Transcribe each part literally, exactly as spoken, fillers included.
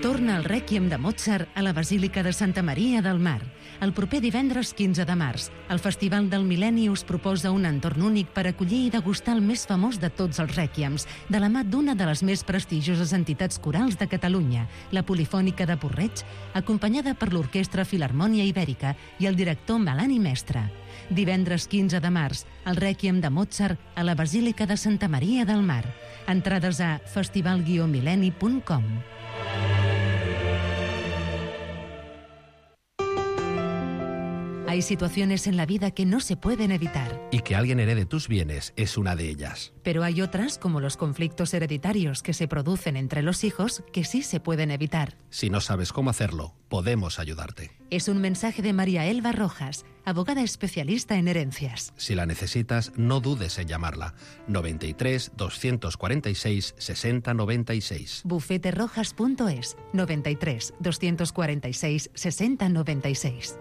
Torna el Rèquiem de Mozart a la Basílica de Santa Maria del Mar. El proper divendres quinze de març, el Festival del Mil·lenni us proposa un entorn únic per acollir i degustar el més famós de tots els rèquiems, de la mà d'una de les més prestigioses entitats corals de Catalunya, la Polifònica de Porreig, acompanyada per l'Orquestra Filharmònia Ibèrica i el director Melani Mestre. Divendres quinze de març, el Rèquiem de Mozart a la Basílica de Santa Maria del Mar. Entrades a festival guió mil·lenni punt com. Hay situaciones en la vida que no se pueden evitar. Y que alguien herede tus bienes es una de ellas. Pero hay otras, como los conflictos hereditarios que se producen entre los hijos, que sí se pueden evitar. Si no sabes cómo hacerlo, podemos ayudarte. Es un mensaje de María Elba Rojas, abogada especialista en herencias. Si la necesitas, no dudes en llamarla. noventa y tres, doscientos cuarenta y seis, sesenta noventa y seis. bufete rojas punto es, noventa y tres, doscientos cuarenta y seis, sesenta noventa y seis.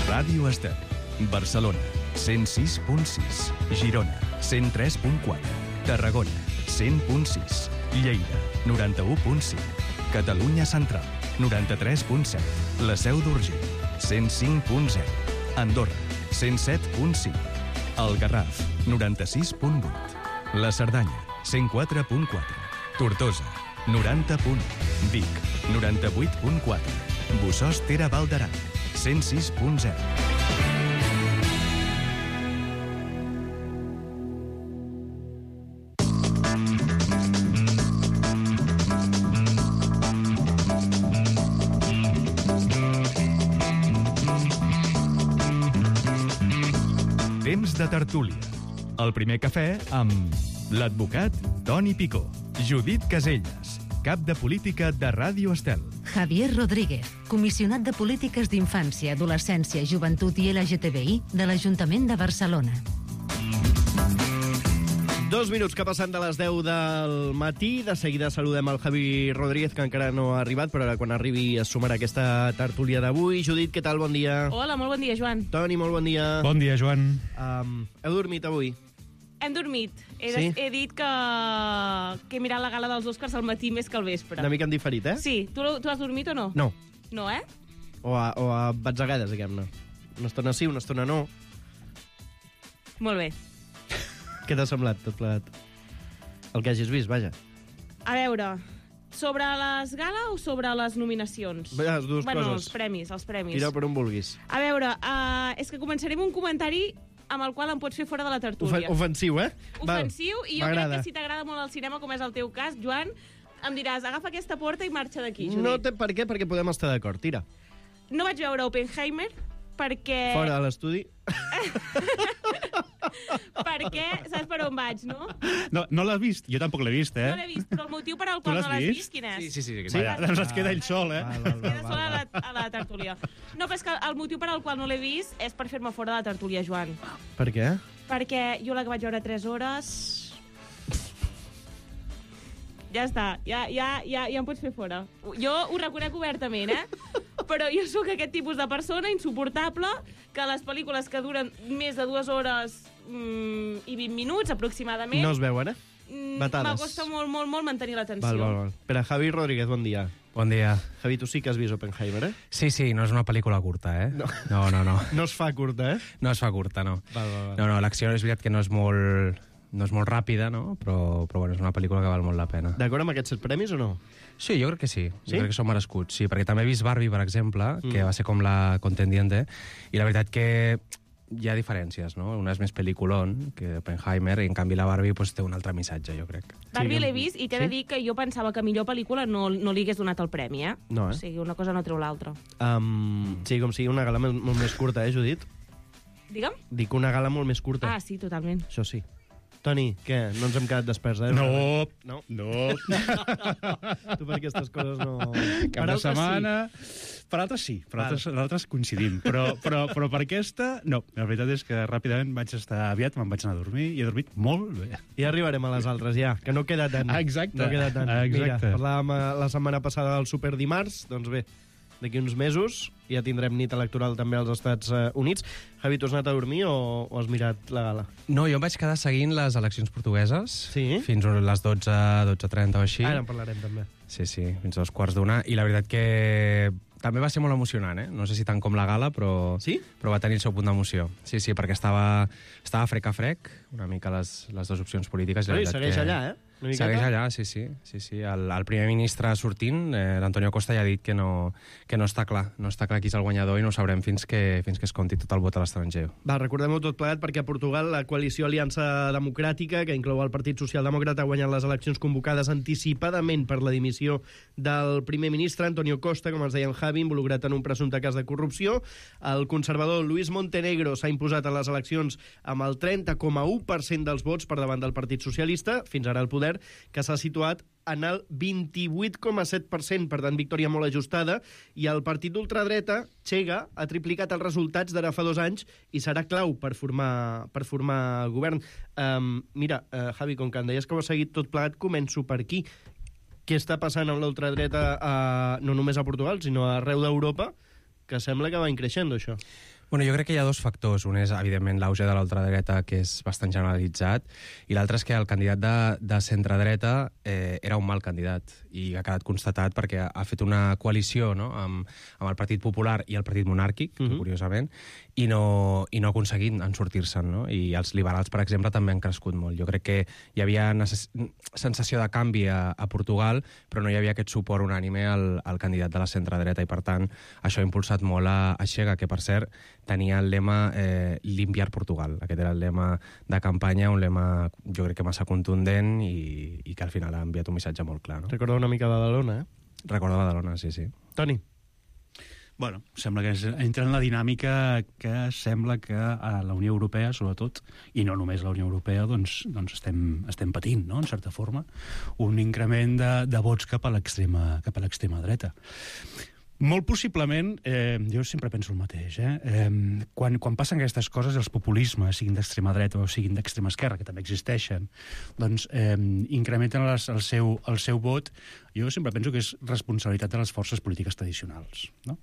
Ràdio Estel, Barcelona, cent sis punt sis, Girona, cent tres punt quatre, Tarragona, cent punt sis, Lleida, noranta-u punt cinc, Catalunya Central, noranta-tres punt set, La Seu d'Urgell, cent cinc punt zero, Andorra, cent set punt cinc, El Garraf, noranta-sis punt vuit, La Cerdanya, cent quatre punt quatre, Tortosa, noranta punt u, Vic, noranta-vuit punt quatre, Bossòst Tere Val d'Aran, cent sis punt zero. Temps de tertúlia. El primer cafè amb l'advocat Toni Picó, Judit Caselles, cap de política de Ràdio Estel, Javier Rodríguez, comissionat de Polítiques d'Infància, Adolescència, Joventut i L G T B I de l'Ajuntament de Barcelona. Dos minuts que passen de les deu del matí. De seguida saludem el Javi Rodríguez, que encara no ha arribat, però ara quan arribi es sumarà aquesta tertúlia d'avui. Judit, què tal? Bon dia. Hola, molt bon dia, Joan. Toni, molt bon dia. Bon dia, Joan. Um, heu dormit avui? Hem dormit. He, Sí? he dit que, que he mirat la gala dels Oscars al matí més que al vespre. Una mica en diferit, eh? Sí. Tu, tu has dormit o no? No. No, eh? O a, o a batzegades, diguem-ne. Una estona sí, una estona no. Molt bé. Què t'ha semblat, tot plegat? El que hagis vist, vaja. A veure, sobre les gala o sobre les nominacions? Bé, les dues bueno, coses. els premis, els premis. Tira per on vulguis. A veure, uh, és que començaré amb un comentari amb el qual em pots fer fora de la tertúlia. Ofen ofensiu, eh? Ofensiu, i jo crec que si t'agrada molt el cinema, com és el teu cas, Joan, em diràs, agafa aquesta porta i marxa d'aquí, Judit. No té per què, perquè podem estar d'acord. Tira. No vaig veure Oppenheimer perquè... Fora de l'estudi. perquè, saps per on vaig, no? No, no l'has vist? Jo tampoc l'he vist, eh? No l'he vist, però el motiu per al Tu qual l'has no l'has vist? vist, quin és? Sí, sí, sí. Sí, doncs es queda ell sol, eh? Val, val, Queda val, sola a val. la, a la tertúlia. No, però és que el motiu per al qual no l'he vist és per fer-me fora de la tertúlia, Joan. Per què? Perquè jo la que vaig veure tres hores... Ja està, ja, ja, ja, ja em pots fer fora. Jo ho reconec obertament, eh? Però jo sóc aquest tipus de persona insuportable que les pel·lícules que duren més de dues hores mm, i vint minuts, aproximadament... No es veuen, eh? mm, Batades. M'acosta molt, molt, molt mantenir l'atenció. Val, val, val. Espera, Javi Rodríguez, bon dia. Bon dia. Javi, tu sí que has vist Oppenheimer, eh? Sí, sí, no és una pel·lícula curta, eh? No. No, no, no. No es fa curta, eh? No es fa curta, no. Val, val, val. No, no, l'acció és veritat que no és molt... no és molt ràpida, no? Però, però bueno, és una pel·lícula que val molt la pena. D'acord amb aquests set premis o no? Sí, jo crec que sí. Sí? Jo crec que són merescuts, sí, perquè també he vist Barbie, per exemple, mm. que va ser com la contendiente, i la veritat que hi ha diferències, no? Una és més pel·lículon que Oppenheimer, i en canvi la Barbie pues, té un altre missatge, jo crec. Barbie l'he vist i t'he de Sí? dir que jo pensava que millor pel·lícula no, no li hagués donat el premi, eh? No, eh? O sigui, una cosa no treu l'altra. Um, sí, com sigui una gala molt, molt més curta, eh, Judit? Digue'm? Dic una gala molt més curta. Ah, sí, totalment. Això sí. Toni, què? No ens hem quedat desperts, eh? No, No? no. Tu per aquestes coses no... Cap Per de altres setmana... Per altres sí, per altres, per altres coincidim. Però, però, però per aquesta, no. La veritat és que ràpidament vaig estar aviat, me'n vaig anar a dormir i he dormit molt bé. Ja arribarem a les altres, ja, que no queda tant. Exacte, No queda tant. exacte. Mira, parlàvem eh, la setmana passada del Super Dimarts, doncs bé, d'aquí uns mesos ja tindrem nit electoral també als Estats Units. Javi, tu has anat a dormir o, o has mirat la gala? No, jo em vaig quedar seguint les eleccions portugueses Sí? fins a les dotze, dotze trenta o així. Ara en parlarem també. Sí, sí, fins a dos quarts d'una. I la veritat que també va ser molt emocionant, eh? No sé si tant com la gala, però, Sí? però va tenir el seu punt d'emoció. Sí, sí, perquè estava, estava frec a frec, una mica les, les dues opcions polítiques. I la No, i veritat segueix que... allà, eh? Una miqueta. Segueix allà, sí, sí. sí, sí. El, el primer ministre sortint, eh, l'Antonio Costa, ja ha dit que no, que no està clar. No està clar qui és el guanyador i no ho sabrem fins que, fins que es compti tot el vot a l'estranger. Va, recordem-ho tot plegat perquè a Portugal la coalició Aliança Democràtica, que inclou el Partit Socialdemòcrata, ha guanyat les eleccions convocades anticipadament per la dimissió del primer ministre, Antonio Costa, com ens deia en Javi, involucrat en un presumpte cas de corrupció. El conservador Luis Montenegro s'ha imposat a les eleccions amb el trenta coma u per cent dels vots per davant del Partit Socialista, fins ara al poder, que s'ha situat en el vint-i-vuit coma set per cent, per tant, victòria molt ajustada, i el partit d'ultradreta, Chega, ha triplicat els resultats d'ara fa dos anys i serà clau per formar, per formar govern. Um, mira, uh, Javi, com que em deies que ho has seguit tot plegat, començo per aquí. Què està passant amb l'ultradreta uh, no només a Portugal, sinó arreu d'Europa, que sembla que va increixent, això? Bueno, jo crec que hi ha dos factors. Un és, evidentment, l'auge de l'ultradreta, que és bastant generalitzat, i l'altre és que el candidat de, de centredreta eh, era un mal candidat, i ha quedat constatat perquè ha, ha fet una coalició, no?, amb, amb el Partit Popular i el Partit Monàrquic, uh -huh. curiosament, i no, i no ha aconseguit en sortir-se'n, no? I els liberals, per exemple, també han crescut molt. Jo crec que hi havia necess... sensació de canvi a, a Portugal, però no hi havia aquest suport unànime al, al candidat de la centredreta, i per tant això ha impulsat molt a, a Chega, que per cert tenia el lema eh, Limpiar Portugal. Aquest era el lema de campanya, un lema jo crec que massa contundent i, i que al final ha enviat un missatge molt clar, no? Recorda una mica Badalona, eh? Recorda Badalona, sí, sí. Toni. Bueno, sembla que és, entra en la dinàmica que sembla que a la Unió Europea, sobretot, i no només la Unió Europea, doncs, doncs estem, estem patint, no?, en certa forma, un increment de, de vots cap a l'extrema cap a l'extrema dreta. Molt possiblement, eh, jo sempre penso el mateix, eh? Eh, quan, quan passen aquestes coses, els populismes, siguin d'extrema dreta o siguin d'extrema esquerra, que també existeixen, doncs eh, incrementen les, el, seu, el seu vot. Jo sempre penso que és responsabilitat de les forces polítiques tradicionals, no?,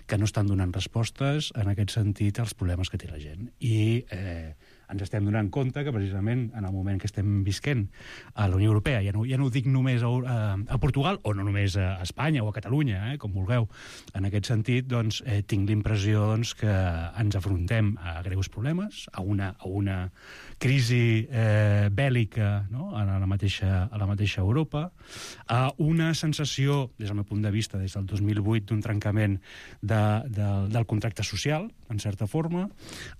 que no estan donant respostes en aquest sentit als problemes que té la gent. I eh, ens estem donant compte que precisament en el moment que estem visquent a la Unió Europea, ja no, ja no ho dic només a, a, a Portugal o no només a Espanya o a Catalunya, eh, com vulgueu, en aquest sentit doncs, eh, tinc l'impressió doncs, que ens afrontem a greus problemes, a una, a una crisi eh, bèl·lica, no?, a la mateixa, a la mateixa Europa, a una sensació, des del meu punt de vista, des del dos mil vuit, d'un trencament de, de, del contracte social, en certa forma,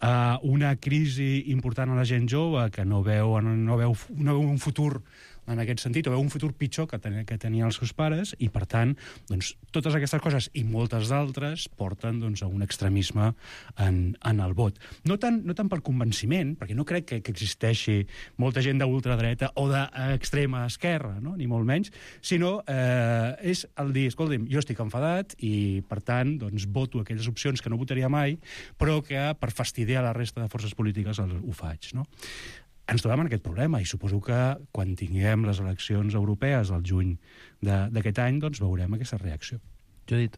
a una crisi important a la gent jove que no veu, no veu, no veu un futur en aquest sentit, o veu un futur pitjor que, ten, que tenien els seus pares, i per tant, doncs, totes aquestes coses i moltes d'altres porten doncs, a un extremisme en, en el vot. No tant, no tant per convenciment, perquè no crec que, que existeixi molta gent d'ultradreta o d'extrema esquerra, no?, ni molt menys, sinó eh, és el dir, escolta'm, jo estic enfadat i, per tant, doncs, voto aquelles opcions que no votaria mai, però que per fastidiar la resta de forces polítiques el, ho faig, no? Ens trobem en aquest problema i suposo que quan tinguem les eleccions europees al juny d'aquest any, doncs veurem aquesta reacció. Judit.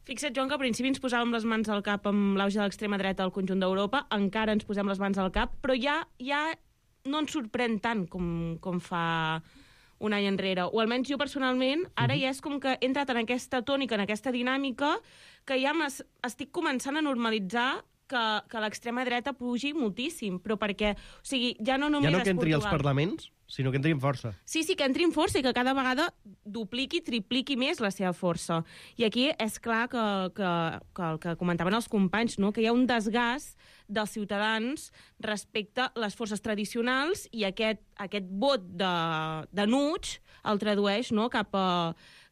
Fixa't, Joan, que al principi ens posàvem les mans al cap amb l'auge de l'extrema dreta al conjunt d'Europa, encara ens posem les mans al cap, però ja, ja no ens sorprèn tant com, com fa un any enrere. O almenys jo personalment, ara ja és com que he entrat en aquesta tònica, en aquesta dinàmica, que ja estic començant a normalitzar que, que l'extrema dreta pugi moltíssim, però perquè, o sigui, ja no només ja no que és entri Portugal. als parlaments, sinó que entri amb força. Sí, sí, que entri amb força i que cada vegada dupliqui, tripliqui més la seva força. I aquí és clar que, que, que el que comentaven els companys, no?, que hi ha un desgast dels ciutadans respecte a les forces tradicionals i aquest, aquest vot de, de nuig el tradueix, no?, cap a,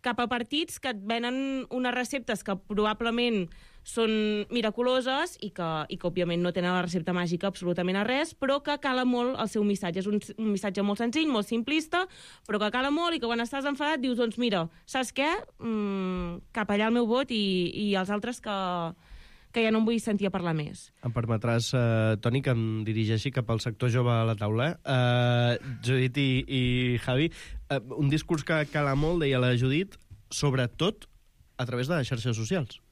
cap a partits que et venen unes receptes que probablement són miraculoses i que, i que òbviament no tenen la recepta màgica absolutament a res, però que cala molt el seu missatge. És un, un missatge molt senzill, molt simplista, però que cala molt i que quan estàs enfadat dius, doncs mira, saps què? Mm, cap allà el meu vot i, i els altres que, que ja no em vull sentir a parlar més. Em permetràs, eh, Toni, que em dirigeixi cap al sector jove a la taula. Eh, Judit i, i Javi, eh, un discurs que cala molt, deia la Judit, sobretot a través de les xarxes socials.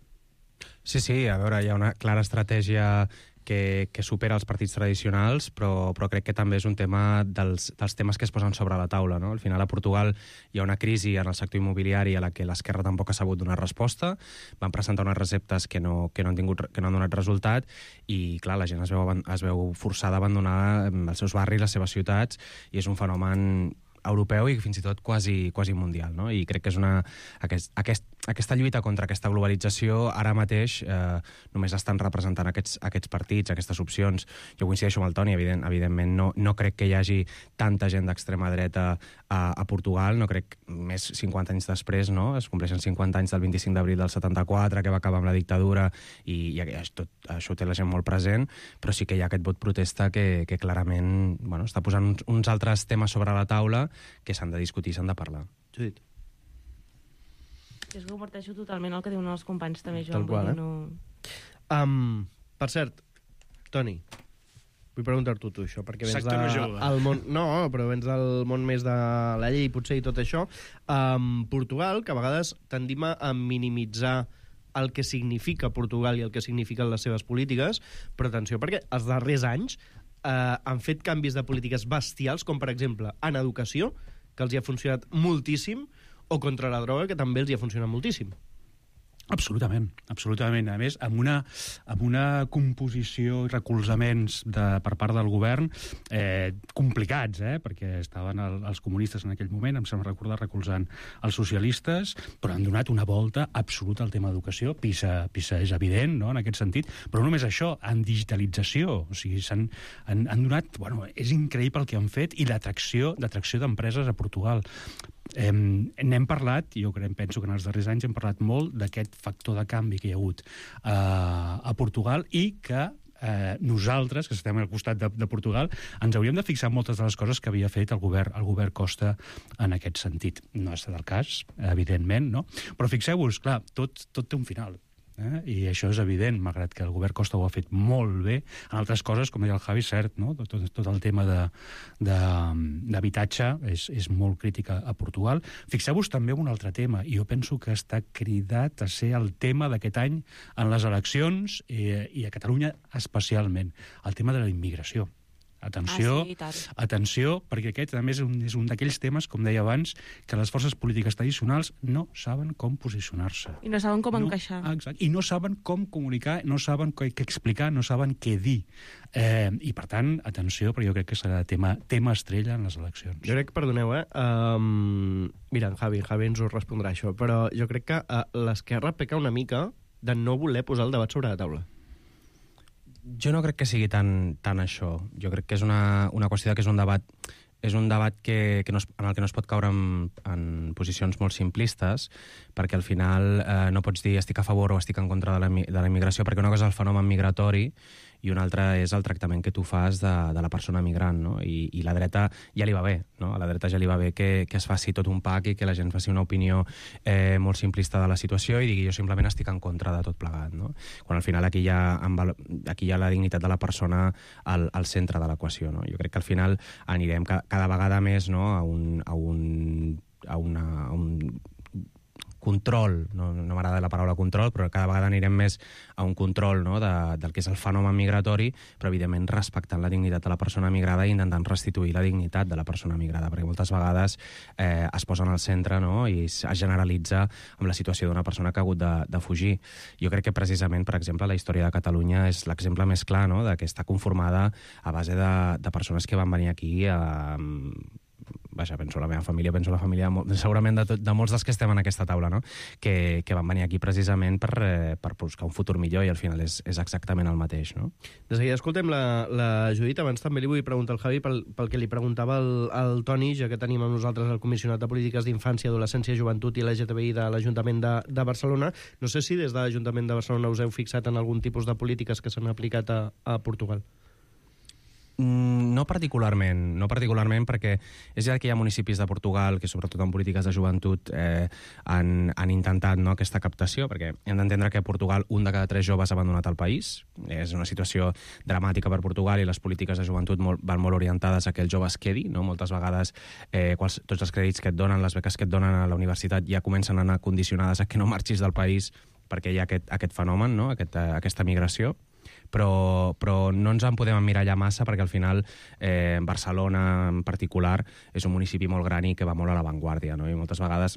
Sí, sí, a veure, hi ha una clara estratègia que, que supera els partits tradicionals, però, però crec que també és un tema dels, dels temes que es posen sobre la taula, no? Al final, a Portugal hi ha una crisi en el sector immobiliari a la que l'esquerra tampoc ha sabut donar resposta. Van presentar unes receptes que no, que no, han, tingut, que no han donat resultat i, clar, la gent es veu, es veu forçada a abandonar els seus barris, les seves ciutats, i és un fenomen europeu i fins i tot quasi, quasi mundial, no? I crec que és una... Aquest, aquest, aquesta lluita contra aquesta globalització ara mateix eh, només estan representant aquests, aquests partits, aquestes opcions. Jo coincideixo amb el Toni, evident, evidentment no, no crec que hi hagi tanta gent d'extrema dreta a, a Portugal, no crec més cinquanta anys després, no? Es compleixen cinquanta anys del vint-i-cinc d'abril del setanta-quatre, que va acabar amb la dictadura, i, i tot, això ho té la gent molt present, però sí que hi ha aquest vot protesta que, que clarament bueno, està posant uns, uns altres temes sobre la taula que s'han de discutir i s'han de parlar. Judit. És que comparteixo totalment el que diuen els companys també, Tal Joan. qual, eh? No... Um, per cert, Toni, vull preguntar-t'ho tu, això, perquè vens Sector de, jove. el món... No, però vens del món més de la llei, potser, i tot això. Um, Portugal, que a vegades tendim a minimitzar el que significa Portugal i el que signifiquen les seves polítiques, però atenció, perquè els darrers anys eh, han fet canvis de polítiques bestials, com per exemple en educació, que els hi ha funcionat moltíssim, o contra la droga, que també els hi ha funcionat moltíssim. Absolutament, absolutament. A més, amb una, amb una composició i recolzaments de, per part del govern eh, complicats, eh, perquè estaven el, els comunistes en aquell moment, em sembla recordar, recolzant els socialistes, però han donat una volta absoluta al tema d'educació. PISA, PISA és evident, no?, en aquest sentit, però no només això, en digitalització. O sigui, s'han, han, han donat... Bueno, és increïble el que han fet i l'atracció d'atracció d'empreses a Portugal. Eh, n'hem parlat, jo crec, penso que en els darrers anys hem parlat molt d'aquest factor de canvi que hi ha hagut eh, a Portugal i que eh, nosaltres, que estem al costat de, de Portugal, ens hauríem de fixar en moltes de les coses que havia fet el govern, el govern Costa en aquest sentit. No ha estat el cas, evidentment, no? Però fixeu-vos, clar, tot, tot té un final. Eh? I això és evident, malgrat que el govern Costa ho ha fet molt bé. En altres coses, com deia el Javi, cert, no? tot, tot el tema d'habitatge és, és molt crític a, a Portugal. Fixeu-vos també en un altre tema, i jo penso que està cridat a ser el tema d'aquest any en les eleccions i, i a Catalunya especialment, el tema de la immigració. Atenció, Ah, sí, i tant. atenció, perquè aquest també és un, és un d'aquells temes, com deia abans, que les forces polítiques tradicionals no saben com posicionar-se. I no saben com no, encaixar. Ah, exacte, i no saben com comunicar, no saben què, què explicar, no saben què dir. Eh, I, per tant, atenció, perquè jo crec que serà tema, tema estrella en les eleccions. Jo crec, perdoneu, eh? Um, mira, en Javi, Javi ens ho respondrà això, però jo crec que uh, l'esquerra peca una mica de no voler posar el debat sobre la taula. Jo no crec que sigui tan, tan això. Jo crec que és una, una qüestió que és un debat és un debat que, que no es, en el que no es pot caure en, en posicions molt simplistes, perquè al final eh, no pots dir estic a favor o estic en contra de la, de la immigració, perquè una cosa és el fenomen migratori i una altra és el tractament que tu fas de, de la persona migrant, no? I, i la dreta ja li va bé, no? A la dreta ja li va bé que, que es faci tot un pack i que la gent faci una opinió eh, molt simplista de la situació i digui jo simplement estic en contra de tot plegat, no? Quan al final aquí hi ha, aquí hi ha la dignitat de la persona al, al centre de l'equació, no? Jo crec que al final anirem ca, cada vegada més, no? a un... A un, a una, a un control, no, no m'agrada la paraula control, però cada vegada anirem més a un control, no, de, del que és el fenomen migratori, però evidentment respectant la dignitat de la persona migrada i intentant restituir la dignitat de la persona migrada, perquè moltes vegades eh, es posen al centre, no, i es generalitza amb la situació d'una persona que ha hagut de, de fugir. Jo crec que precisament, per exemple, la història de Catalunya és l'exemple més clar, no, de que està conformada a base de, de persones que van venir aquí a... Vaja, penso la meva família, penso la família segurament de, tot, de molts dels que estem en aquesta taula, no? que, que van venir aquí precisament per, eh, per buscar un futur millor i al final és, és exactament el mateix, no? De seguida escoltem la, la Judit. Abans també li vull preguntar al Javi pel, pel que li preguntava el, el Toni, ja que tenim amb nosaltres el comissionat de Polítiques d'Infància, Adolescència, Joventut i L G T B I de l'Ajuntament de, de Barcelona. No sé si des de l'Ajuntament de Barcelona us heu fixat en algun tipus de polítiques que s'han aplicat a, a Portugal. No particularment, no particularment perquè és ja que hi ha municipis de Portugal que sobretot en polítiques de joventut eh, han, han intentat, no, aquesta captació, perquè hem d'entendre que a Portugal un de cada tres joves ha abandonat el país. És una situació dramàtica per Portugal i les polítiques de joventut molt, van molt orientades a que el jove es quedi, no? Moltes vegades eh, quals, tots els crèdits que et donen, les beques que et donen a la universitat ja comencen a anar condicionades a que no marxis del país perquè hi ha aquest, aquest fenomen, no? aquest, aquesta migració. Però, però no ens en podem emmirallar massa perquè al final eh, Barcelona en particular és un municipi molt gran i que va molt a l'avantguàrdia, no? I moltes vegades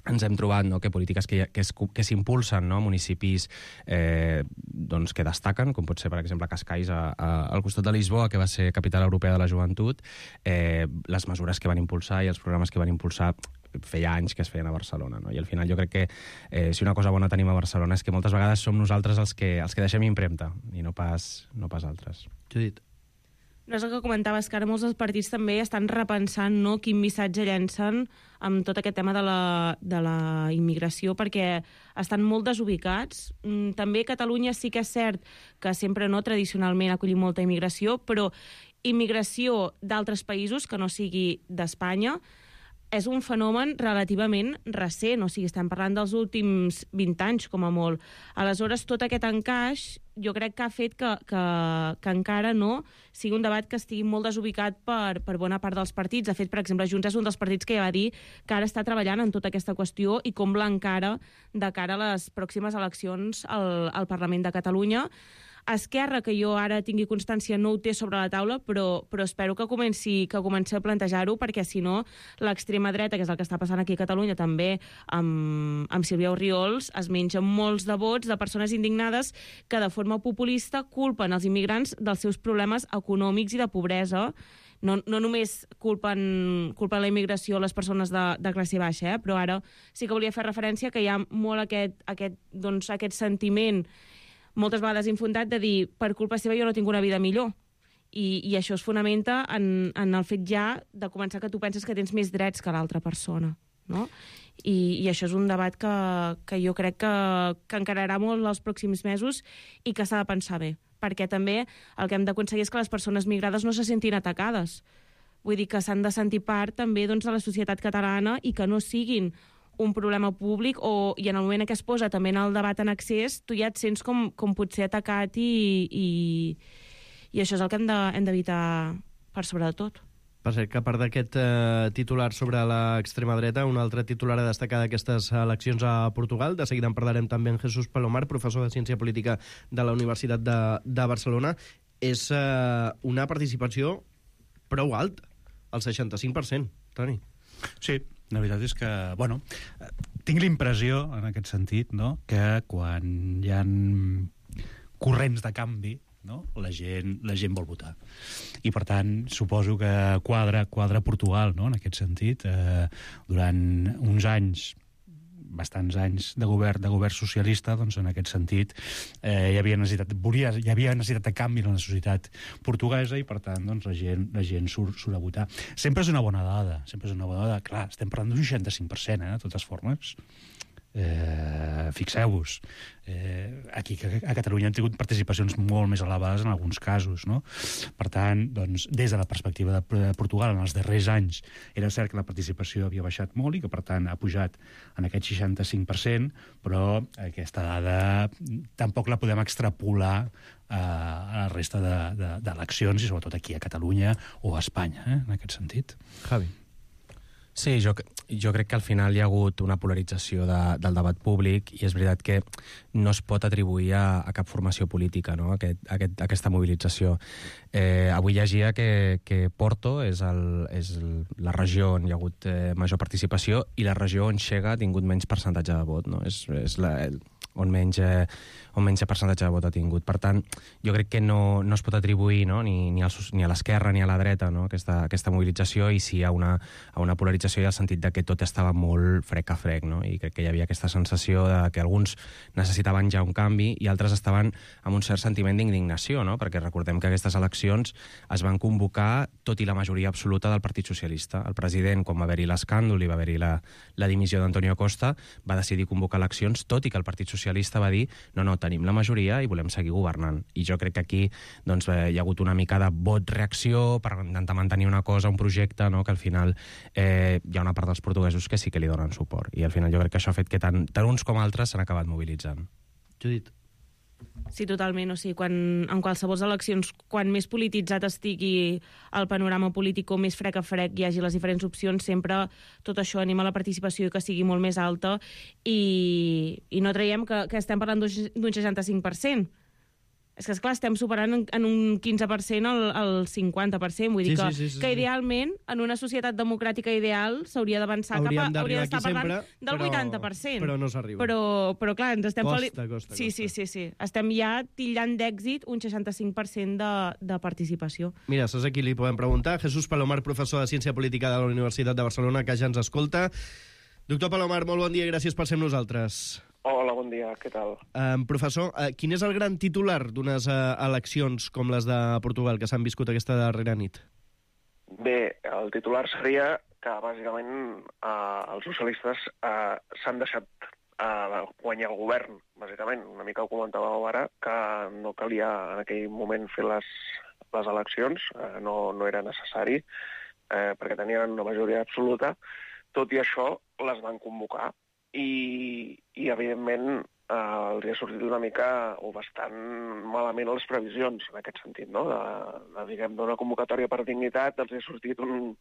ens hem trobat, no, que polítiques que, que, es, que s'impulsen, no, municipis eh, doncs, que destaquen, com pot ser, per exemple, Cascais, a, a, al costat de Lisboa, que va ser capital europea de la joventut, eh, les mesures que van impulsar i els programes que van impulsar feia anys que es feien a Barcelona, no? I al final jo crec que eh, si una cosa bona tenim a Barcelona és que moltes vegades som nosaltres els que, els que deixem impremta i no pas, no pas altres. Judit. No és el que comentaves, que ara molts dels partits també estan repensant, no, quin missatge llencen amb tot aquest tema de la, de la immigració, perquè estan molt desubicats. També Catalunya sí que és cert que sempre, no, tradicionalment ha acollit molta immigració, però immigració d'altres països que no sigui d'Espanya és un fenomen relativament recent, o sigui, estem parlant dels últims vint anys, com a molt. Aleshores, tot aquest encaix jo crec que ha fet que, que, que encara no sigui un debat que estigui molt desubicat per, per bona part dels partits. De fet, per exemple, Junts és un dels partits que ja va dir que ara està treballant en tota aquesta qüestió i com l'encara de cara a les pròximes eleccions al, al Parlament de Catalunya. Esquerra, que jo ara tingui constància, no ho té sobre la taula, però, però espero que comenci, que comenci a plantejar-ho, perquè si no, l'extrema dreta, que és el que està passant aquí a Catalunya, també amb, amb Sílvia Orriols, es menja molts de vots de persones indignades que de forma populista culpen els immigrants dels seus problemes econòmics i de pobresa. No, no només culpen, culpen la immigració les persones de, de classe baixa, eh? Però ara sí que volia fer referència que hi ha molt aquest, aquest, doncs, aquest sentiment moltes vegades infundat de dir per culpa seva jo no tinc una vida millor. I, i això es fonamenta en, en el fet ja de començar que tu penses que tens més drets que l'altra persona, no? I, i això és un debat que, que jo crec que, que encararà molt els pròxims mesos i que s'ha de pensar bé, perquè també el que hem d'aconseguir és que les persones migrades no se sentin atacades. Vull dir que s'han de sentir part també, doncs, de la societat catalana i que no siguin un problema públic, o, i en el moment en què es posa també en el debat en accés, tu ja et sents com, com pot ser atacat i, i, i això és el que hem de, hem d'evitar per sobre de tot. Per cert, que a part d'aquest eh, titular sobre l'extrema dreta, un altre titular a destacar d'aquestes eleccions a Portugal, de seguida en parlarem també amb Jesús Palomar, professor de Ciència Política de la Universitat de, de Barcelona, és eh, una participació prou alta, el seixanta-cinc per cent, Toni. Sí, la veritat és que, bueno, tinc la impressió, en aquest sentit, no?, que quan hi ha corrents de canvi, no?, la gent, la gent vol votar. I, per tant, suposo que quadra, quadra Portugal, no?, en aquest sentit. Eh, durant uns anys, bastants anys de govern, de govern socialista, doncs en aquest sentit eh, hi havia necessitat, volia, hi havia necessitat de canvi en la societat portuguesa i per tant doncs, la gent, la gent surt, surt a votar. Sempre és una bona dada, sempre és una bona dada. Clar, estem parlant d'un seixanta-cinc per cent, eh, de totes formes. Eh, fixeu-vos, eh, aquí a Catalunya han tingut participacions molt més elevades en alguns casos, no? Per tant, doncs, des de la perspectiva de Portugal en els darrers anys era cert que la participació havia baixat molt i que per tant ha pujat en aquest seixanta-cinc per cent, però aquesta dada tampoc la podem extrapolar a la resta d'eleccions i sobretot aquí a Catalunya o a Espanya, eh, en aquest sentit. Javi. Sí, jo, jo crec que al final hi ha hagut una polarització de, del debat públic i és veritat que no es pot atribuir a, a cap formació política, no?, aquest, aquest, aquesta mobilització. Eh, avui llegia que, que Porto és, el, és la regió on hi ha hagut eh, major participació i la regió on Xega ha tingut menys percentatge de vot, no? És, és la, el, on menys, eh, on menys percentatge de vot ha tingut. Per tant, jo crec que no, no es pot atribuir, no?, ni, ni, al, ni a l'esquerra ni a la dreta, no?, aquesta, aquesta mobilització, i sí a una, a una polarització i al sentit de que tot estava molt frec a frec, no? I crec que hi havia aquesta sensació de que alguns necessitaven ja un canvi i altres estaven amb un cert sentiment d'indignació, no?, perquè recordem que aquestes eleccions es van convocar tot i la majoria absoluta del Partit Socialista. El president, quan va haver-hi l'escàndol i va haver-hi la, la dimissió d'Antonio Costa, va decidir convocar eleccions tot i que el Partit Socialista socialista va dir no, no, tenim la majoria i volem seguir governant. I jo crec que aquí doncs, eh, hi ha hagut una mica de vot-reacció per intentar mantenir una cosa, un projecte, no? Que al final eh, hi ha una part dels portuguesos que sí que li donen suport. I al final jo crec que això ha fet que tant, tant uns com altres s'han acabat mobilitzant. Judit. Sí, totalment. O sigui, quan, en qualsevol eleccions, quan més polititzat estigui el panorama polític o més frec a frec hi hagi les diferents opcions, sempre tot això anima la participació i que sigui molt més alta i, i no traiem que, que estem parlant d'un seixanta-cinc per cent. És que, esclar, estem superant en, en un quinze per cent el, el cinquanta per cent. Vull dir Sí, que, sí, sí, sí, que sí. idealment, en una societat democràtica ideal, s'hauria d'avançar cap a... Hauríem Hauria d'arribar d'estar aquí parlant sempre, del però- vuitanta per cent. però no s'arriba. Però, però, clar, ens estem... Costa, fali- costa, sí, costa. sí, sí, sí. Estem ja tillant d'èxit un seixanta-cinc per cent de, de participació. Mira, saps a qui li podem preguntar? Jesús Palomar, professor de Ciència Política de la Universitat de Barcelona, que ja ens escolta. Doctor Palomar, molt bon dia i gràcies per ser amb nosaltres. Hola, bon dia, què tal? Um, professor, uh, quin és el gran titular d'unes uh, eleccions com les de Portugal que s'han viscut aquesta darrera nit? Bé, el titular seria que, bàsicament, eh, els socialistes eh, s'han deixat eh, guanyar el govern, bàsicament. Una mica ho comentàveu ara, que no calia en aquell moment fer les, les eleccions, eh, no, no era necessari, eh, perquè tenien una majoria absoluta. Tot i això, les van convocar i, i evidentment, eh, els ha sortit una mica o bastant malament les previsions, en aquest sentit, no? De, de, diguem, d'una convocatòria per dignitat, els ha sortit un,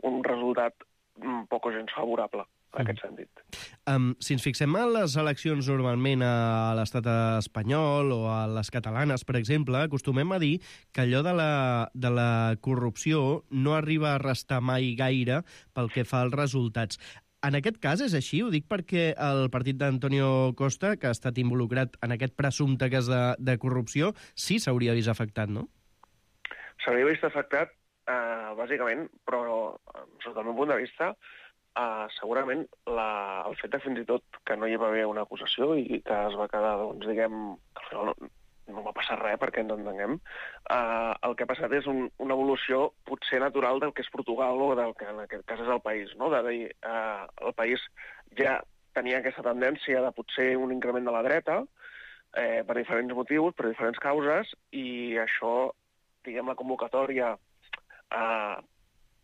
un resultat mm, poc o gens favorable, en mm. aquest sentit. Um, si ens fixem en les eleccions normalment a l'estat espanyol o a les catalanes, per exemple, acostumem a dir que allò de la, de la corrupció no arriba a restar mai gaire pel que fa als resultats. En aquest cas és així, ho dic perquè el partit d'Antonio Costa, que ha estat involucrat en aquest presumpte cas de, de corrupció, sí s'hauria vist afectat, no? S'hauria vist afectat, eh, bàsicament, però, sota el meu punt de vista, eh, segurament la, el fet de fins i tot que no hi va haver una acusació i que es va quedar, doncs, diguem, que al final no, no va passar res, perquè ens entenguem, eh, el que ha passat és un, una evolució potser natural del que és Portugal o del que en aquest cas és el país, no? De dir, eh, el país ja tenia aquesta tendència de potser un increment de la dreta, eh, per diferents motius, per diferents causes, i això, diguem, la convocatòria eh,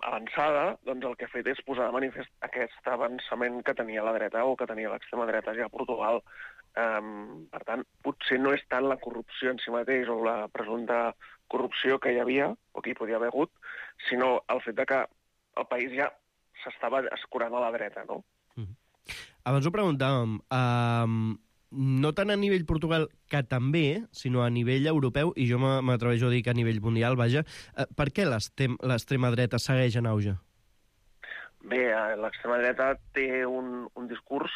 avançada, doncs el que ha fet és posar de manifest aquest avançament que tenia la dreta o que tenia l'extrema dreta ja a Portugal. Um, per tant, potser no és tant la corrupció en si mateix o la presumpta corrupció que hi havia, o que hi podia haver hagut, sinó el fet de que el país ja s'estava escurant a la dreta, no? Mm. Abans ho preguntàvem, um, no tant a nivell Portugal, que també, sinó a nivell europeu, i jo m'atreveixo a dir que a nivell mundial, vaja, uh, per què l'extrema dreta segueix en auge? Bé, l'extrema dreta té un, un discurs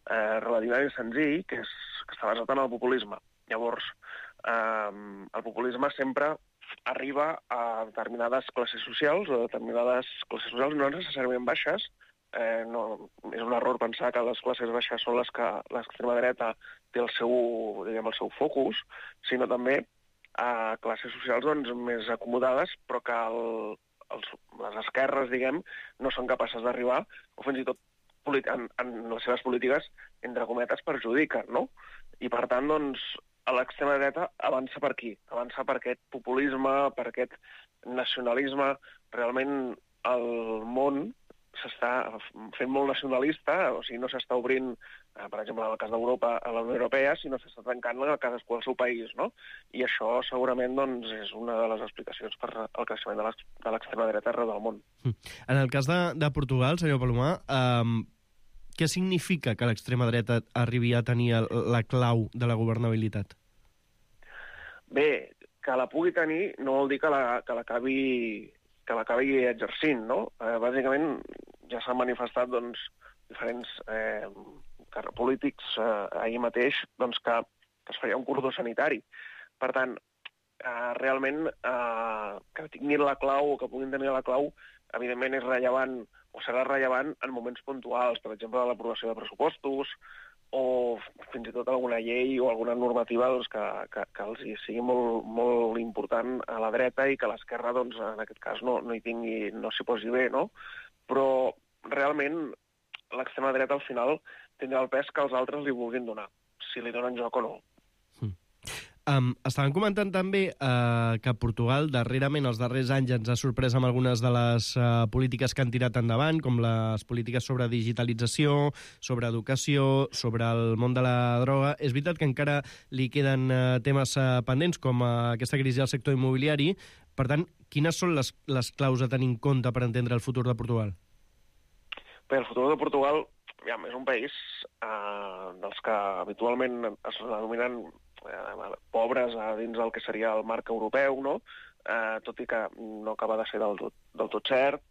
Eh, relativament senzill, que, és, que està basat en el populisme. Llavors, eh, el populisme sempre arriba a determinades classes socials, o determinades classes socials no necessàriament baixes. Eh, no, és un error pensar que les classes baixes són les que l'extrema dreta té el seu, diguem, el seu focus, sinó també a classes socials doncs, més acomodades, però que el, els, les esquerres, diguem, no són capaces d'arribar, o fins i tot En, en les seves polítiques, entre cometes, perjudiquen, no? I, per tant, doncs, l'extrema dreta avança per aquí, avança per aquest populisme, per aquest nacionalisme. Realment, el món s'està fent molt nacionalista, o sigui, no s'està obrint, eh, per exemple, en el cas d'Europa, a la Unió Europea, sinó s'està tancant a cadascú al seu país, no? I això, segurament, doncs, és una de les explicacions per al creixement de l'extrema dreta arreu del món. En el cas de, de Portugal, senyor Palomar, eh, què significa que l'extrema dreta arribi a tenir la clau de la governabilitat? Bé, que la pugui tenir no vol dir que la, que l'acabi que l'acabi exercint, no? Eh, bàsicament, ja s'han manifestat doncs, diferents eh, polítics eh, ahir mateix doncs, que, que es feia un cordó sanitari. Per tant, eh, realment, eh, que tinguin la clau o que puguin tenir la clau, evidentment és rellevant o serà rellevant en moments puntuals, per exemple, l'aprovació de pressupostos o fins i tot alguna llei o alguna normativa doncs, que, que, que els sigui molt, molt important a la dreta i que l'esquerra, doncs, en aquest cas, no, no hi tingui, no s'hi posi bé, no? Però realment l'extrema dreta al final tindrà el pes que els altres li vulguin donar. si li donen joc o no. Um, estaven comentant també uh, que Portugal, darrerament, els darrers anys, ens ha sorprès amb algunes de les uh, polítiques que han tirat endavant, com les polítiques sobre digitalització, sobre educació, sobre el món de la droga. És veritat que encara li queden uh, temes uh, pendents, com uh, aquesta crisi del sector immobiliari. Per tant, quines són les, les claus a tenir en compte per entendre el futur de Portugal? Bé, el futur de Portugal ja, és un país uh, dels que habitualment es denominen eh, pobres a dins del que seria el marc europeu, no? Eh, tot i que no acaba de ser del tot, del tot cert.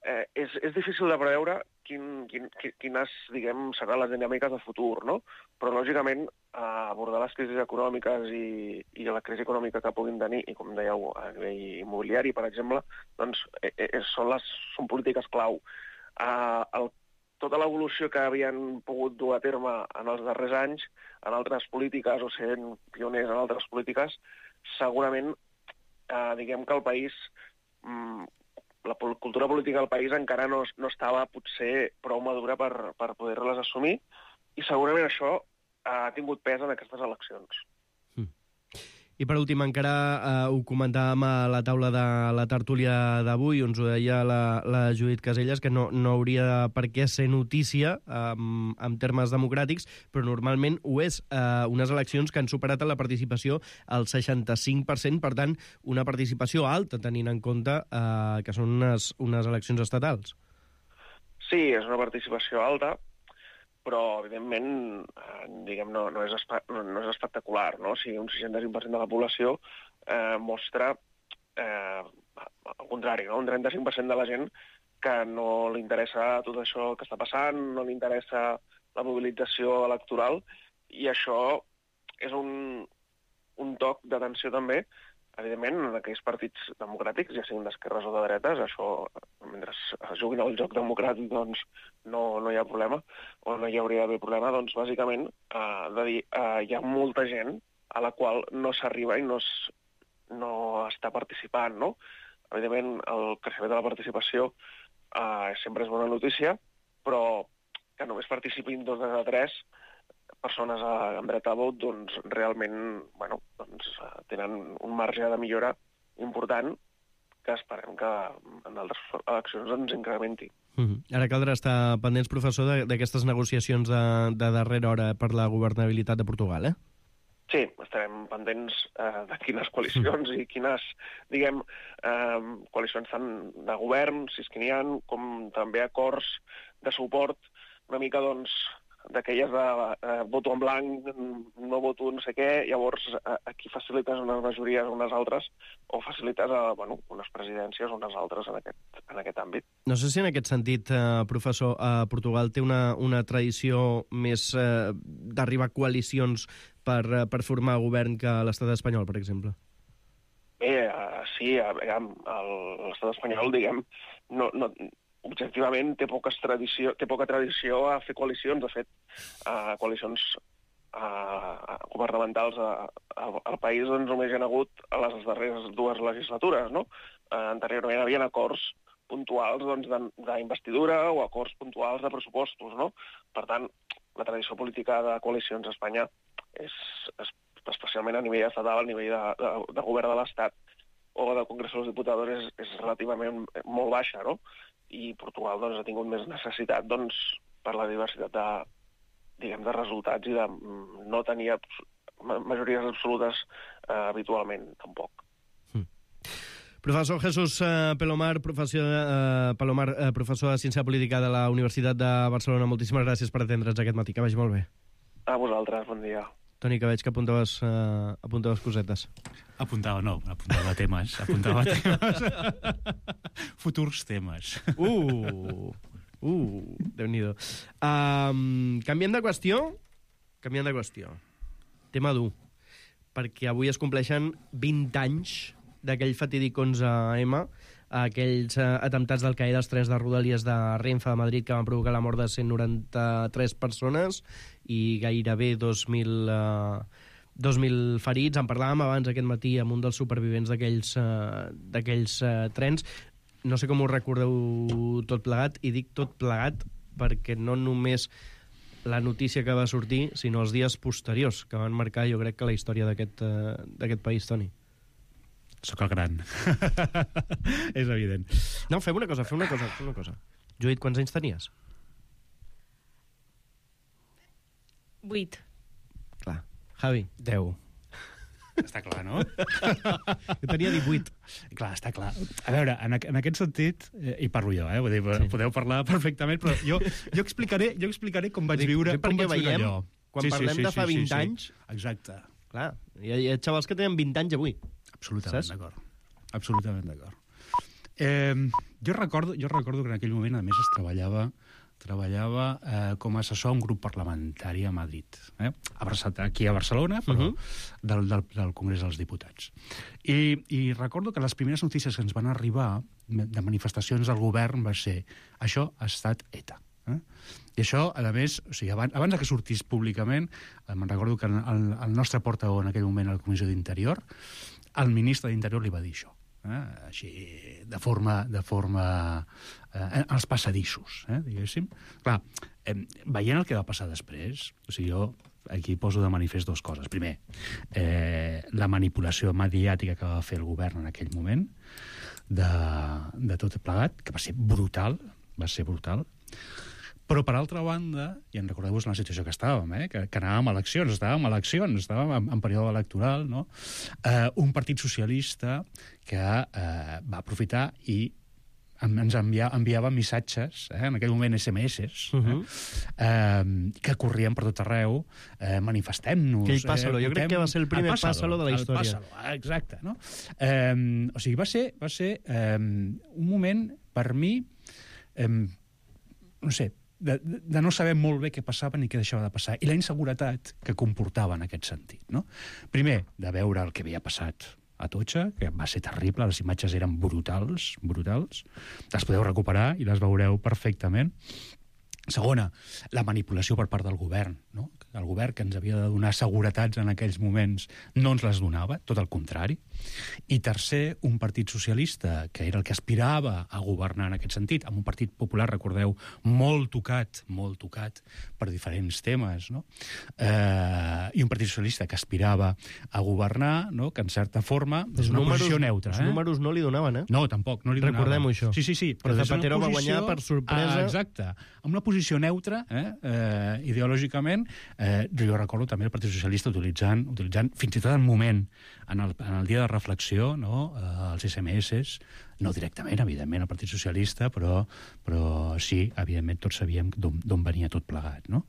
Eh, és, és difícil de preveure quin, quin, quines, diguem, seran les dinàmiques de futur, no? Però, lògicament, eh, abordar les crisis econòmiques i, i la crisi econòmica que puguin tenir, i com dèieu, a nivell immobiliari, per exemple, doncs eh, eh, són, les, són polítiques clau. Eh, el tota l'evolució que havien pogut dur a terme en els darrers anys en altres polítiques o sent pioners en altres polítiques, segurament eh, diguem que el país, mm, la cultura política del país encara no, no estava potser prou madura per, per poder-les assumir i segurament això ha tingut pes en aquestes eleccions. I per últim, encara eh, ho comentàvem a la taula de la tertúlia d'avui, on ho deia la, la Judit Caselles, que no, no hauria per què ser notícia eh, en termes democràtics, però normalment ho és. Eh, unes eleccions que han superat la participació al seixanta-cinc per cent, per tant, una participació alta, tenint en compte eh, que són unes, unes eleccions estatals. Sí, és una participació alta, però, evidentment, eh, diguem, no, no, és espe no, no és espectacular, no? O sigui, un seixanta-cinc per cent de la població eh, mostra eh, al contrari, no? Un trenta-cinc per cent de la gent que no li interessa tot això que està passant, no li interessa la mobilització electoral, i això és un, un toc d'atenció també, evidentment, en aquells partits democràtics, ja siguin d'esquerres o de dretes, això, mentre es juguin al joc democràtic, doncs no, no hi ha problema, o no hi hauria d'haver problema, doncs bàsicament eh, de dir, eh, hi ha molta gent a la qual no s'arriba i no, es, no està participant, no? Evidentment, el creixement de la participació eh, sempre és bona notícia, però que només participin dos de tres persones amb dret a vot, doncs realment bueno, doncs, tenen un marge de millora important que esperem que en altres eleccions ens incrementi. Mm-hmm. Ara caldrà estar pendents, professor, d'aquestes negociacions de, de darrera hora per la governabilitat de Portugal, eh? Sí, estarem pendents eh, de quines coalicions i quines, diguem, eh, coalicions tant de govern, si és que n'hi ha, com també acords de suport, una mica, doncs, d'aquelles de eh, voto en blanc, no voto no sé què, llavors eh, aquí facilites unes majories o unes altres, o facilites eh, bueno, unes presidències o unes altres en aquest, en aquest àmbit. No sé si en aquest sentit, eh, professor, eh, Portugal té una, una tradició més eh, d'arribar a coalicions per, eh, per formar govern que l'estat espanyol, per exemple. Bé, eh, sí, eh, l'estat espanyol, diguem, no... no objectivament té, poques tradició, té poca tradició a fer coalicions. De fet, uh, coalicions uh, governamentals uh, al país doncs, només hi ha hagut a les darreres dues legislatures, no? Uh, anteriorment hi havia acords puntuals doncs, d'investidura o acords puntuals de pressupostos, no? Per tant, la tradició política de coalicions a Espanya és, és especialment a nivell estatal, a nivell de, de, de govern de l'Estat o del Congrés dels Diputats és, és relativament molt baixa, no? I Portugal doncs, ha tingut més necessitat doncs, per la diversitat de, diguem, de resultats i de no tenir majories absolutes eh, habitualment, tampoc. Mm. Professor Jesús eh, Pelomar, professor, eh, Palomar, eh, professor de Ciència Política de la Universitat de Barcelona, moltíssimes gràcies per atendre'ns aquest matí. Que vagi molt bé. A vosaltres, bon dia. Toni, que veig que apuntaves, uh, apuntaves cosetes. Apuntava, no, apuntava temes. Apuntava temes. Futurs temes. Uh, uh, Déu-n'hi-do. Um, canviem de qüestió? Canviem de qüestió. Tema dur. Perquè avui es compleixen vint anys d'aquell fatídic onze eme, aquells uh, atemptats d'Al-Qaeda, els tres de Rodalies de Renfe a Madrid, que van provocar la mort de cent noranta-tres persones i gairebé dos mil, uh, dos mil ferits. En parlàvem abans aquest matí amb un dels supervivents d'aquells uh, d'aquells uh, trens. No sé com ho recordeu tot plegat, i dic tot plegat perquè no només la notícia que va sortir, sinó els dies posteriors, que van marcar, jo crec, que la història d'aquest uh, d'aquest país, Toni. Sóc el gran. És evident. No, fem una cosa, fem una cosa, fem una cosa. Judit, quants anys tenies? Vuit. Clar. Javi? Deu. Està clar, no? Jo tenia divuit. Clar, està clar. A veure, en, en aquest sentit, eh, hi parlo jo, eh? Vull dir, sí. Podeu parlar perfectament, però jo, jo, explicaré, jo explicaré com vaig viure, com vaig viure allò. Quan sí, parlem sí, sí, de fa vint sí, sí, anys... Sí. Exacte. Clar, hi ha, hi ha xavals que tenen vint anys avui. Absolutament d'acord. Absolutament d'acord. Eh, jo, recordo, jo recordo que en aquell moment, a més, es treballava treballava eh, com a assessor a un grup parlamentari a Madrid, eh? a Barcelona, aquí a Barcelona, però uh -huh. del, del, del Congrés dels Diputats. I, I recordo que les primeres notícies que ens van arribar de manifestacions del govern va ser això ha estat ETA. Eh? I això, a més, o sigui, abans, abans que sortís públicament, eh, me'n recordo que el, el nostre portaveu en aquell moment a la Comissió d'Interior, el ministre d'Interior li va dir això. Eh? Així, de forma, de forma eh, als passadissos, eh, diguéssim. Clar, eh, veient el que va passar després, o sigui, jo aquí poso de manifest dues coses. Primer, eh, la manipulació mediàtica que va fer el govern en aquell moment de, de tot plegat, que va ser brutal, va ser brutal. Però, per altra banda, i en recordeu-vos la situació que estàvem, eh? que, que anàvem a eleccions, estàvem a eleccions, estàvem en, en període electoral, no? Eh, un partit socialista que eh, va aprofitar i ens envia, enviava missatges, eh? en aquell moment esse eme esses, uh -huh. eh? Eh, que corrien per tot arreu, eh, manifestem-nos... Aquell pàssalo, eh? jo crec que va ser el primer el pàssalo, pàssalo de la història. El pàssalo, exacte, no? Eh, o sigui, va ser, va ser eh, un moment, per mi, eh, no sé, De, de no saber molt bé què passava ni què deixava de passar, i la inseguretat que comportava en aquest sentit. No? Primer, de veure el que havia passat a Atocha, que va ser terrible, les imatges eren brutals, brutals. Les podeu recuperar i les veureu perfectament. Segona, la manipulació per part del govern, no? El govern que ens havia de donar seguretats en aquells moments no ens les donava, tot el contrari. I tercer, un partit socialista que era el que aspirava a governar en aquest sentit, amb un partit popular, recordeu, molt tocat, molt tocat per diferents temes, no? Eh, i un partit socialista que aspirava a governar, no? Que en certa forma és una números, posició neutra. Els eh? números no li donaven, eh? No, tampoc, no li donaven. Recordem-ho, això. Sí, sí, sí. Però Zapatero va guanyar per sorpresa. Ah, exacte. Amb una posició neutra, eh? Eh, ideològicament, eh, jo recordo també el Partit Socialista utilitzant, utilitzant fins i tot en moment, en el, en el dia de reflexió, no? eh, els esse eme esses, no directament, evidentment, el Partit Socialista, però, però sí, evidentment, tots sabíem d'on venia tot plegat. No?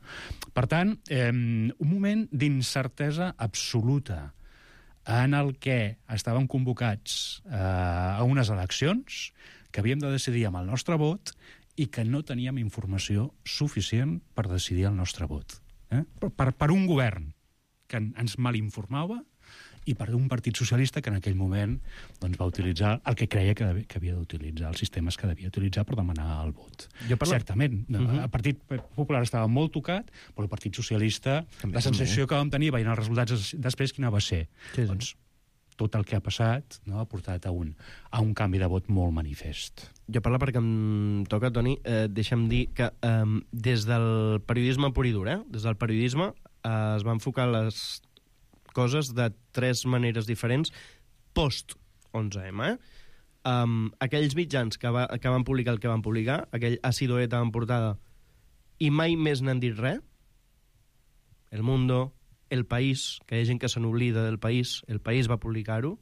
Per tant, eh, un moment d'incertesa absoluta en el que estàvem convocats eh, a unes eleccions que havíem de decidir amb el nostre vot i que no teníem informació suficient per decidir el nostre vot. Eh? Per, per un govern que ens malinformava i per un partit socialista que en aquell moment doncs, va utilitzar el que creia que, devia, que havia d'utilitzar, els sistemes que devia utilitzar per demanar el vot. Parlo... Certament, uh -huh. el Partit Popular estava molt tocat, però el Partit Socialista, també, la sensació també. que vam tenir veient els resultats després, quina va ser? Sí, sí. Doncs tot el que ha passat, no, ha portat a un, a un canvi de vot molt manifest. Jo parlo perquè em toca, Toni, eh, deixa'm dir que eh, des del periodisme pur i dur, eh, des del periodisme eh, es van enfocar les coses de tres maneres diferents post onze eme. Eh? Um, aquells mitjans que, va, que van publicar el que van publicar, aquell àcido ETA en portada, i mai més n'han dit res. El Mundo, El País, que hi ha gent que se n'oblida del País, El País va publicar-ho,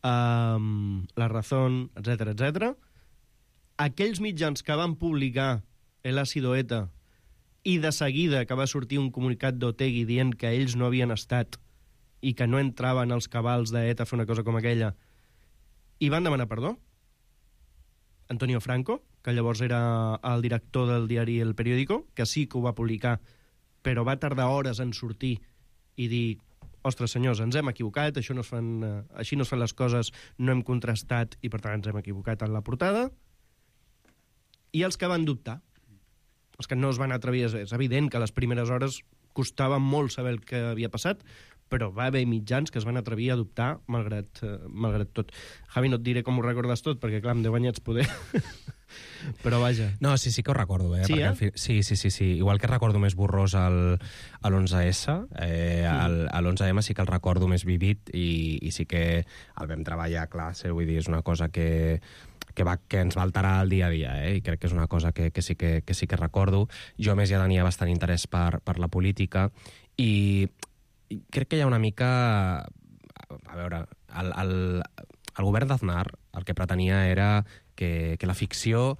um, La Razón, etcètera, etcètera. Aquells mitjans que van publicar l'àcido ETA i de seguida que va sortir un comunicat d'Otegi dient que ells no havien estat i que no entraven als cabals d'ETA a fer una cosa com aquella, i van demanar perdó. Antonio Franco, que llavors era el director del diari El Periódico, que sí que ho va publicar, però va tardar hores en sortir i dir, ostres, senyors, ens hem equivocat, això no es fan, eh, així no es fan les coses, no hem contrastat i, per tant, ens hem equivocat en la portada. I els que van dubtar, els que no es van atrevir, és evident que a les primeres hores costava molt saber el que havia passat, però va haver mitjans que es van atrevir a dubtar malgrat, eh, malgrat tot. Javi, no et diré com ho recordes tot, perquè, clar, amb deu anyets poder... Però vaja. No, sí, sí que ho recordo, eh? Sí, Perquè eh? al fi... sí, sí, sí, sí. Igual que recordo més borrós el, a l'onze esse, eh, el, a l'onze eme sí que el recordo més vivid i, i sí que el vam treballar, clar, sí, vull dir, és una cosa que, que, va, que ens va alterar el dia a dia, eh? I crec que és una cosa que, que, sí que, que sí que recordo. Jo, a més, ja tenia bastant interès per, per la política i, i crec que hi ha una mica... A veure, el, el, el govern d'Aznar el que pretenia era que, que la ficció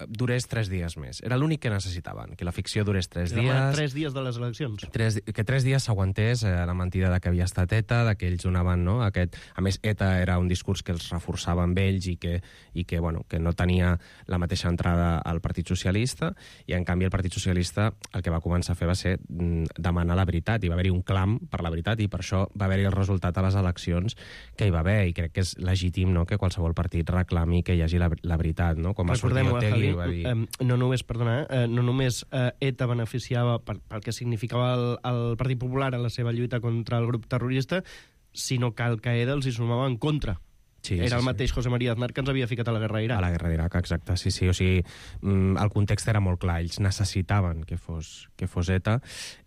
durés tres dies més. Era l'únic que necessitaven, que la ficció durés tres dies... Era tres dies de les eleccions. Tres, que tres dies s'aguantés eh, la mentida de que havia estat ETA, de que ells donaven, no? Aquest... A més, ETA era un discurs que els reforçava amb ells i que, i que, bueno, que no tenia la mateixa entrada al Partit Socialista, i en canvi el Partit Socialista el que va començar a fer va ser mm, demanar la veritat. Hi va haver-hi un clam per la veritat i per això va haver-hi el resultat a les eleccions que hi va haver, i crec que és legítim, no?, que qualsevol partit reclami que hi hagi la, la veritat, no? Com va sortir Otegi, va dir... Eh, no només, perdona, eh, no només eh, ETA beneficiava per, pel que significava el, el Partit Popular en la seva lluita contra el grup terrorista, sinó que Al Qaeda els hi sumava en contra. Sí, Era sí, el sí. mateix José María Aznar que ens havia ficat a la guerra d'Iraq. A la guerra d'Iraq, exacte, sí, sí. O sigui, el context era molt clar. Ells necessitaven que fos, que fos ETA,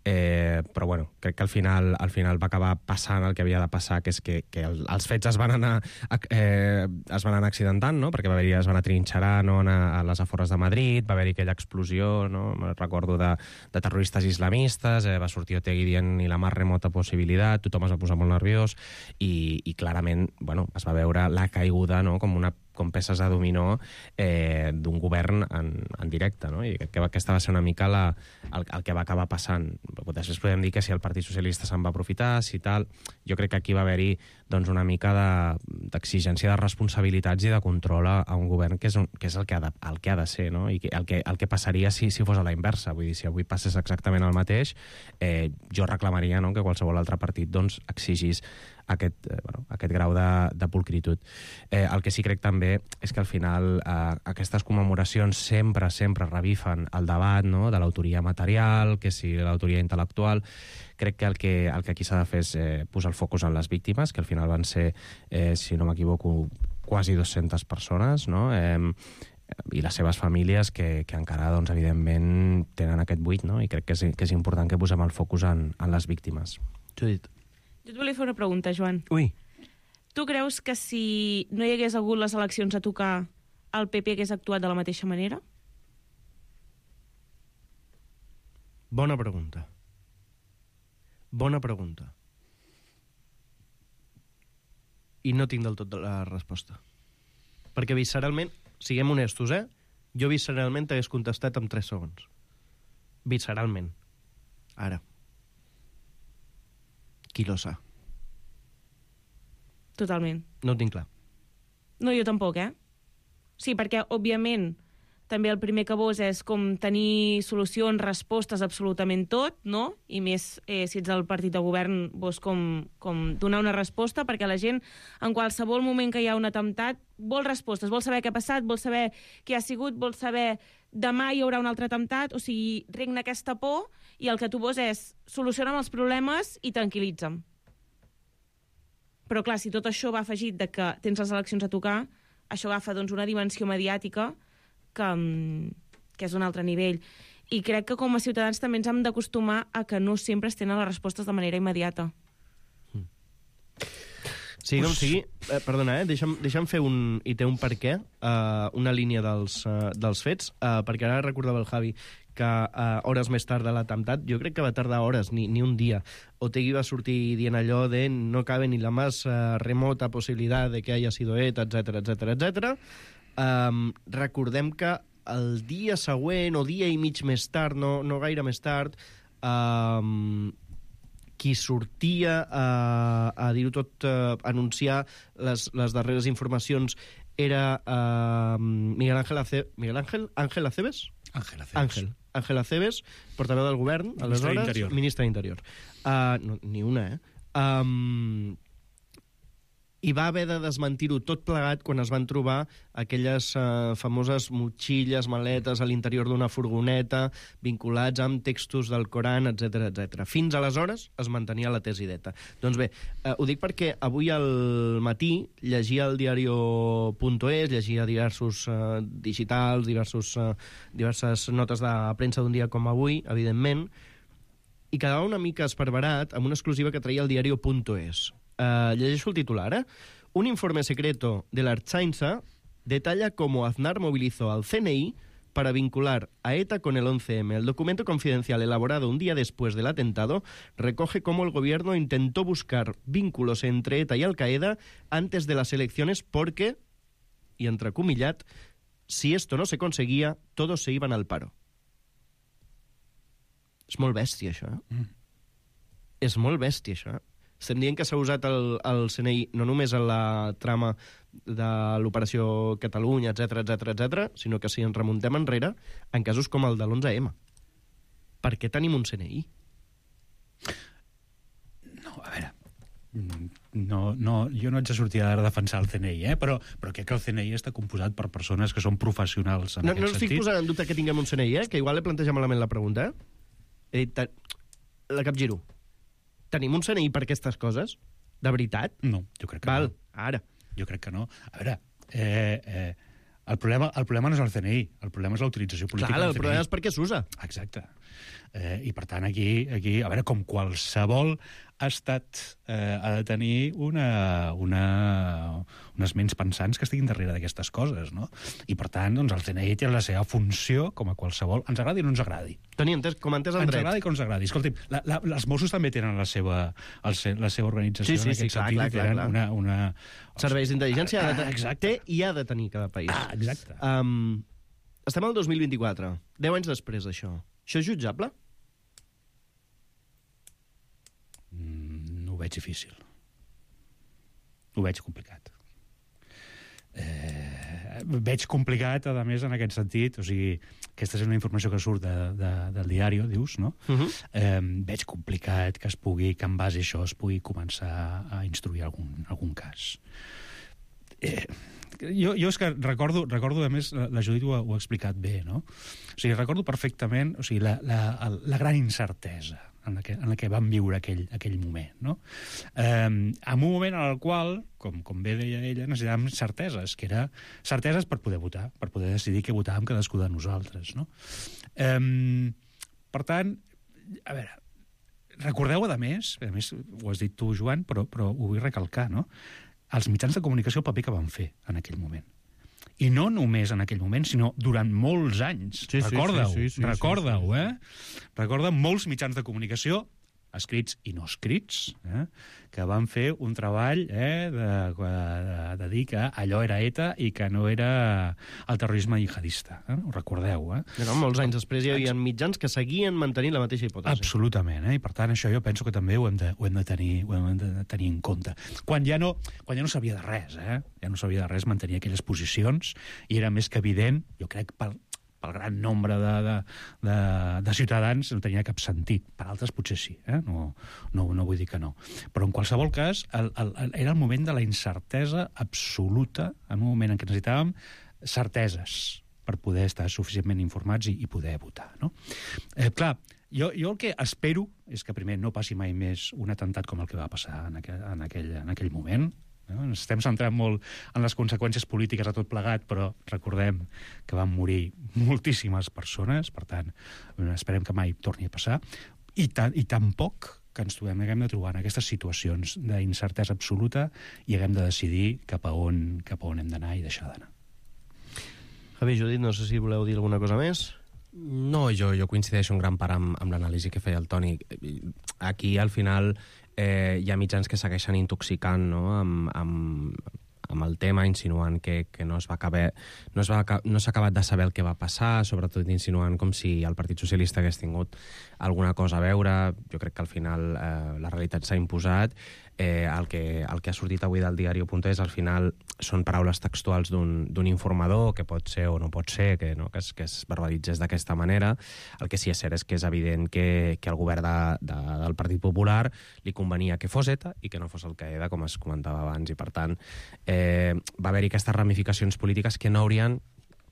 eh, però bueno, crec que al final, al final va acabar passant el que havia de passar, que és que, que el, els fets es van anar eh, es van anar accidentant, no?, perquè va haver-hi, es van atrinxerar, no?, a, a les afores de Madrid, va haver-hi aquella explosió, no?, me'n recordo de, de terroristes islamistes, eh, va sortir Otegi dient ni la més remota possibilitat, tothom es va posar molt nerviós, i, i clarament, bueno, es va veure la caiguda, no?, com una com peces de dominó eh, d'un govern en, en directe, no? I crec que aquesta va ser una mica la, el, el que va acabar passant. Després podem dir que si el Partit Socialista se'n va aprofitar, si tal... Jo crec que aquí va haver-hi doncs, una mica d'exigència de, de responsabilitats i de control a, a un govern que és, un, que és el, que ha de, el que ha de ser, no? I que, el, que, el que passaria si, si fos a la inversa. Vull dir, si avui passés exactament el mateix, eh, jo reclamaria, no?, que qualsevol altre partit doncs, exigís aquest, eh, bueno, aquest grau de, de pulcritud. Eh, el que sí crec també és que al final eh, aquestes commemoracions sempre, sempre revifen el debat, no?, de l'autoria material, que si l'autoria intel·lectual. Crec que el que, el que aquí s'ha de fer és eh, posar el focus en les víctimes, que al final van ser, eh, si no m'equivoco, quasi dues-centes persones, no?, eh, i les seves famílies que, que encara, doncs, evidentment, tenen aquest buit, no?, i crec que és, que és important que posem el focus en, en les víctimes. Judit. Jo et volia fer una pregunta, Joan. Ui. Tu creus que si no hi hagués hagut les eleccions a tocar, el P P hagués actuat de la mateixa manera? Bona pregunta. Bona pregunta. I no tinc del tot la resposta. Perquè visceralment, siguem honestos, eh? Jo visceralment t'hagués contestat en tres segons. Visceralment. Ara. Qui lo sa? Totalment. No ho tinc clar. No, jo tampoc, eh? Sí, perquè, òbviament, també el primer que vols és com tenir solucions, respostes, absolutament tot, no? I més, eh, si ets el partit de govern, vols com, com donar una resposta, perquè la gent, en qualsevol moment que hi ha un atemptat, vol respostes, vol saber què ha passat, vol saber què ha sigut, vol saber demà hi haurà un altre atemptat, o sigui, regna aquesta por, i el que tu vols és solucionar els problemes i tranquil·litza'm. Però clar, si tot això va afegit de que tens les eleccions a tocar, això agafa doncs, una dimensió mediàtica que, que és un altre nivell. I crec que com a ciutadans també ens hem d'acostumar a que no sempre es tenen les respostes de manera immediata. Sí, com sigui, eh, perdona, eh, deixa'm, deixa'm fer un... I té un per què, eh, una línia dels, uh, dels fets, eh, perquè ara recordava el Javi que eh, hores més tard de l'atemptat, jo crec que va tardar hores, ni, ni un dia. Otegi va sortir dient allò de no cabe ni la més uh, remota possibilitat de que haya sido ETA, etcètera, etcètera, etcètera. Um, recordem que el dia següent, o dia i mig més tard, no, no gaire més tard, um, qui sortia a, a dir-ho tot, a anunciar les, les darreres informacions era uh, Miguel Ángel Ace... Miguel Ángel? Ángel Acebes? Ángel Acebes. Ángel. Ángel Acebes, portaveu del govern, Ministre aleshores, d'Interior. ministre d'Interior. Uh, no, ni una, eh? Um, i va haver de desmentir-ho tot plegat quan es van trobar aquelles uh, famoses motxilles, maletes a l'interior d'una furgoneta, vinculats amb textos del Coran, etcètera, etcètera. Fins aleshores es mantenia la tesideta. Doncs bé, uh, ho dic perquè avui al matí llegia el diario punto es, llegia diversos uh, digitals, diversos, uh, diverses notes de premsa d'un dia com avui, evidentment, i quedava una mica esparverat amb una exclusiva que traia el diario punto es. Uh, llegeixo el titular, ¿eh? Un informe secreto de la Archainsa detalla cómo Aznar movilizó al C N I para vincular a ETA con el once eme. El documento confidencial elaborado un día después del atentado recoge cómo el gobierno intentó buscar vínculos entre ETA y Al-Qaeda antes de las elecciones porque, y entrecomillat, si esto no se conseguía, todos se iban al paro. És molt bèstia, això, eh? Mm. És molt bèstia, això, eh? Estem dient que s'ha usat el, el C N I no només en la trama de l'operació Catalunya, etcètera, etcètera, etcètera, sinó que si ens remuntem enrere en casos com el de l'onze eme. Per què tenim un C N I? No, a veure, no, no, jo no haig de sortir a defensar el C N I, eh? però, però crec que el C N I està composat per persones que són professionals en no, aquest no sentit. No estic posant en dubte que tinguem un C N I, eh? Que igual he plantejat malament la pregunta. Eh? He dit, la capgiro. Tenim un C N I per aquestes coses? De veritat? No, jo crec que Val, no. Ara. Jo crec que no. A veure, eh, eh, el, problema, el problema no és el C N I, el problema és la utilització política Clar, del el C N I. problema és per què s'usa. Exacte. Eh, I, per tant, aquí, aquí, a veure, com qualsevol estat eh, ha de tenir una, una, unes ments pensants que estiguin darrere d'aquestes coses, no? I, per tant, doncs, el C N I té la seva funció com a qualsevol, ens agradi o no ens agradi. Toni, entès, com entès el ens dret. Ens agradi com ens agradi. Escolti'm, la, la, els Mossos també tenen la seva, el, la seva organització sí, sí, en aquest sí, clar, sentit. clar, clar, clar. Una, una... Serveis d'intel·ligència ah, ha de té i ha de tenir cada país. Ah, exacte. Um, estem al dos mil vint-i-quatre, deu anys després d'això. Això és jutjable? Mm, ho veig difícil. Ho veig complicat. Eh, veig complicat, a més, en aquest sentit, o sigui, aquesta és una informació que surt de, de, del diari, dius, no? Uh -huh. eh, veig complicat que es pugui, que en base a això es pugui començar a instruir algun, algun cas. Eh, jo, jo és que recordo, recordo a més, la, la Judit ho ha, ho ha explicat bé, no? O sigui, recordo perfectament, o sigui, la, la, la gran incertesa en la que, en la que vam viure aquell, aquell moment, no? Eh, en un moment en el qual, com, com bé deia ella, necessitàvem certeses, que era certeses per poder votar, per poder decidir què votàvem cadascú de nosaltres, no? Eh, per tant, a veure, recordeu, a més, a més, ho has dit tu, Joan, però, però ho vull recalcar, no? Els mitjans de comunicació, el paper que van fer en aquell moment. I no només en aquell moment, sinó durant molts anys. Sí, Recorda-ho, sí, sí, sí, recorda-ho, sí, sí, sí. eh? Recorda molts mitjans de comunicació, escrits i no escrits, eh? que van fer un treball eh? de, de, de dir que allò era ETA i que no era el terrorisme jihadista. Eh? Ho recordeu, eh? No, molts anys després hi havia mitjans que seguien mantenint la mateixa hipòtesi. Absolutament, eh? I per tant això jo penso que també ho hem de, ho hem de, tenir, ho hem de tenir en compte. Quan ja no, quan ja no sabia de res, eh? Ja no sabia de res mantenir aquelles posicions i era més que evident, jo crec, pel, pel gran nombre de, de, de, de ciutadans no tenia cap sentit. Per altres potser sí, eh? no, no, no vull dir que no. Però en qualsevol cas el, el, el, era el moment de la incertesa absoluta, en un moment en què necessitàvem certeses per poder estar suficientment informats i, i poder votar. No? Eh, clar, jo, jo el que espero és que primer no passi mai més un atemptat com el que va passar en aquell, en aquell, en aquell moment. No? Ens estem centrant molt en les conseqüències polítiques a tot plegat, però recordem que van morir moltíssimes persones, per tant, esperem que mai torni a passar, i, ta i tampoc que ens trobem, haguem de trobar en aquestes situacions d'incertesa absoluta i haguem de decidir cap a on, cap a on hem d'anar i deixar d'anar. Javi, Judit, no sé si voleu dir alguna cosa més. No, jo, jo coincideixo en gran part amb, amb l'anàlisi que feia el Toni. Aquí, al final, eh, hi ha mitjans que segueixen intoxicant, no?, amb, amb, amb el tema, insinuant que, que no es va acabar, no es va, no s'ha acabat de saber el que va passar, sobretot insinuant com si el Partit Socialista hagués tingut alguna cosa a veure. Jo crec que al final eh, la realitat s'ha imposat. eh, el, que, el que ha sortit avui del diario punt es al final són paraules textuals d'un informador, que pot ser o no pot ser, que, no, que, es, que es verbalitzés d'aquesta manera. El que sí és cert és que és evident que, que al govern de, de, del Partit Popular li convenia que fos ETA i que no fos Al-Qaeda, com es comentava abans, i per tant eh, va haver-hi aquestes ramificacions polítiques que no haurien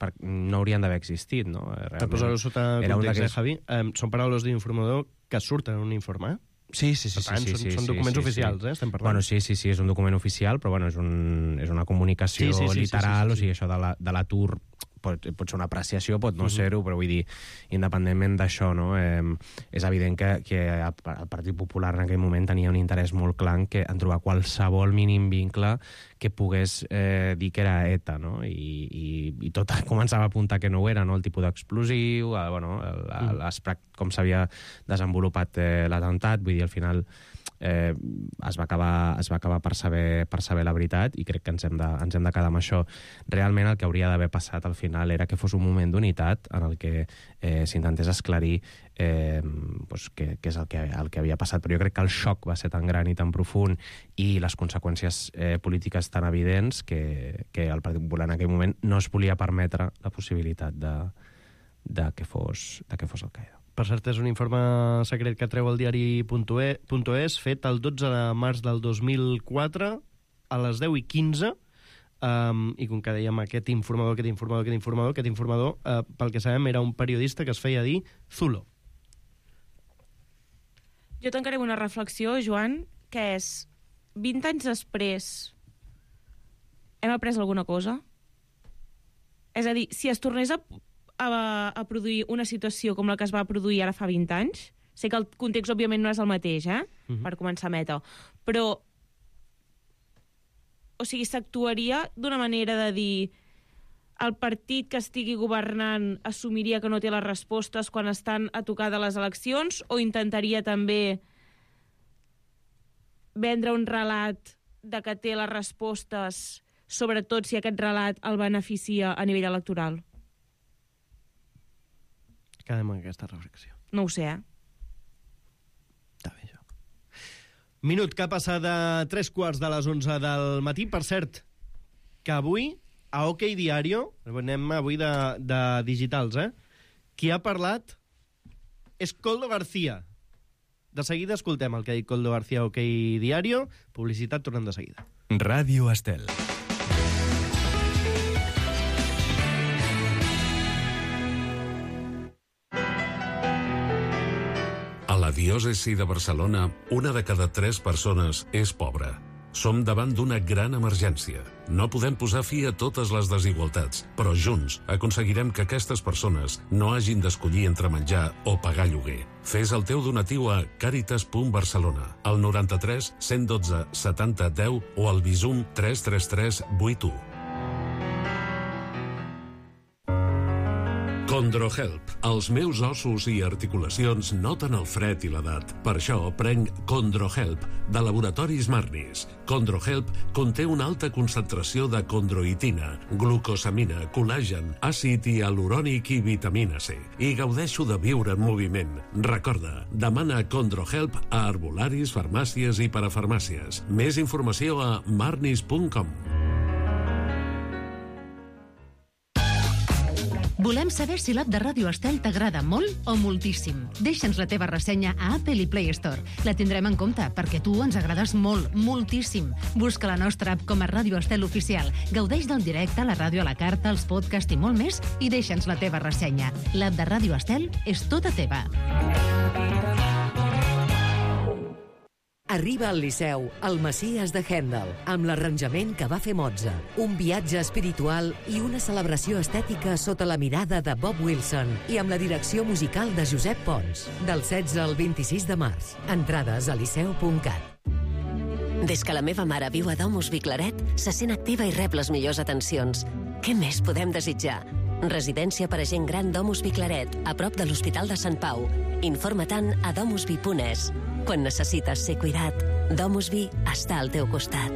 per, no haurien d'haver existit, no? Per posar-ho sota context, eh, Javi? Eh, són paraules d'un informador que surten en un informe, eh? Sí, sí, sí. Per tant, sí, són, sí, són sí, documents sí, oficials, sí. eh? Estem parlant. Bueno, sí, sí, sí, és un document oficial, però bueno, és, un, és una comunicació sí, sí, sí, literal, sí, sí, sí, sí. o sigui, això de l'atur pot, pot ser una apreciació, pot no uh -huh. ser-ho, però vull dir, independentment d'això, no? Eh, és evident que, que el, el Partit Popular en aquell moment tenia un interès molt clar en, que, en trobar qualsevol mínim vincle que pogués eh, dir que era ETA, no? I, i, i tot començava a apuntar que no ho era, no? El tipus d'explosiu, el, bueno, el, el, el, com s'havia desenvolupat eh, l'atemptat, vull dir, al final eh, es va acabar, es va acabar per, saber, per saber la veritat, i crec que ens hem de, ens hem de quedar amb això. Realment el que hauria d'haver passat al final era que fos un moment d'unitat en el que eh, s'intentés esclarir eh, pues, què, què és el que, el que havia passat, però jo crec que el xoc va ser tan gran i tan profund i les conseqüències eh, polítiques tan evidents que, que el Partit Popular en aquell moment no es volia permetre la possibilitat de, de que fos, de que fos Al-Qaeda. Per cert, és un informe secret que treu el diari punt es, fet el dotze de març del dos mil quatre, a les deu i quinze, um, i com que dèiem aquest informador, aquest informador, aquest informador, aquest informador, uh, pel que sabem, era un periodista que es feia dir Zulo. Jo tancaré una reflexió, Joan, que és, vint anys després, hem après alguna cosa? És a dir, si es tornés a A, a produir una situació com la que es va produir ara fa vint anys. Sé que el context, òbviament, no és el mateix, eh? Uh-huh. Per començar a meta. Però, o sigui, s'actuaria d'una manera de dir el partit que estigui governant assumiria que no té les respostes quan estan a tocar de les eleccions, o intentaria també vendre un relat de que té les respostes, sobretot si aquest relat el beneficia a nivell electoral? Quedem amb aquesta reflexió. No ho sé, eh? Està bé, això. Minut que ha passat de tres quarts de les onze del matí. Per cert, que avui, a OK Diario, anem avui de, de digitals, eh? Qui ha parlat és Koldo García. De seguida escoltem el que ha dit Koldo García a OK Diario. Publicitat, tornem de seguida. Ràdio Estel. A la diòcesi de Barcelona, una de cada tres persones és pobra. Som davant d'una gran emergència. No podem posar fi a totes les desigualtats, però junts aconseguirem que aquestes persones no hagin d'escollir entre menjar o pagar lloguer. Fes el teu donatiu a càritas punt barcelona, al noranta-tres cent dotze setanta deu o al Bizum tres tres tres vuit u. CondroHelp. Els meus ossos i articulacions noten el fred i l'edat. Per això prenc CondroHelp, de Laboratoris Marnis. CondroHelp conté una alta concentració de condroitina, glucosamina, col·làgen, àcid hialurònic i vitamina C. I gaudeixo de viure en moviment. Recorda, demana CondroHelp a herbolaris, farmàcies i parafarmàcies. Més informació a marnis punt com. Volem saber si l'app de Ràdio Estel t'agrada molt o moltíssim. Deixa'ns la teva ressenya a Apple i Play Store. La tindrem en compte, perquè tu ens agrades molt, moltíssim. Busca la nostra app com a Ràdio Estel Oficial. Gaudeix del directe, la ràdio a la carta, els podcasts i molt més, i deixa'ns la teva ressenya. L'app de Ràdio Estel és tota teva. Arriba al Liceu, el Messies de Händel, amb l'arranjament que va fer Mozart, un viatge espiritual i una celebració estètica sota la mirada de Bob Wilson i amb la direcció musical de Josep Pons, del setze al vint-i-sis de març. Entrades a liceu punt cat. Des que la meva mare viu a Domus Viclaret, se sent activa i rep les millors atencions. Què més podem desitjar? Residència per a gent gran Domus Viclaret, a prop de l'Hospital de Sant Pau. Informa-te'n a domusvi punt es. Quan necessites ser cuidat, Domusvi està al teu costat.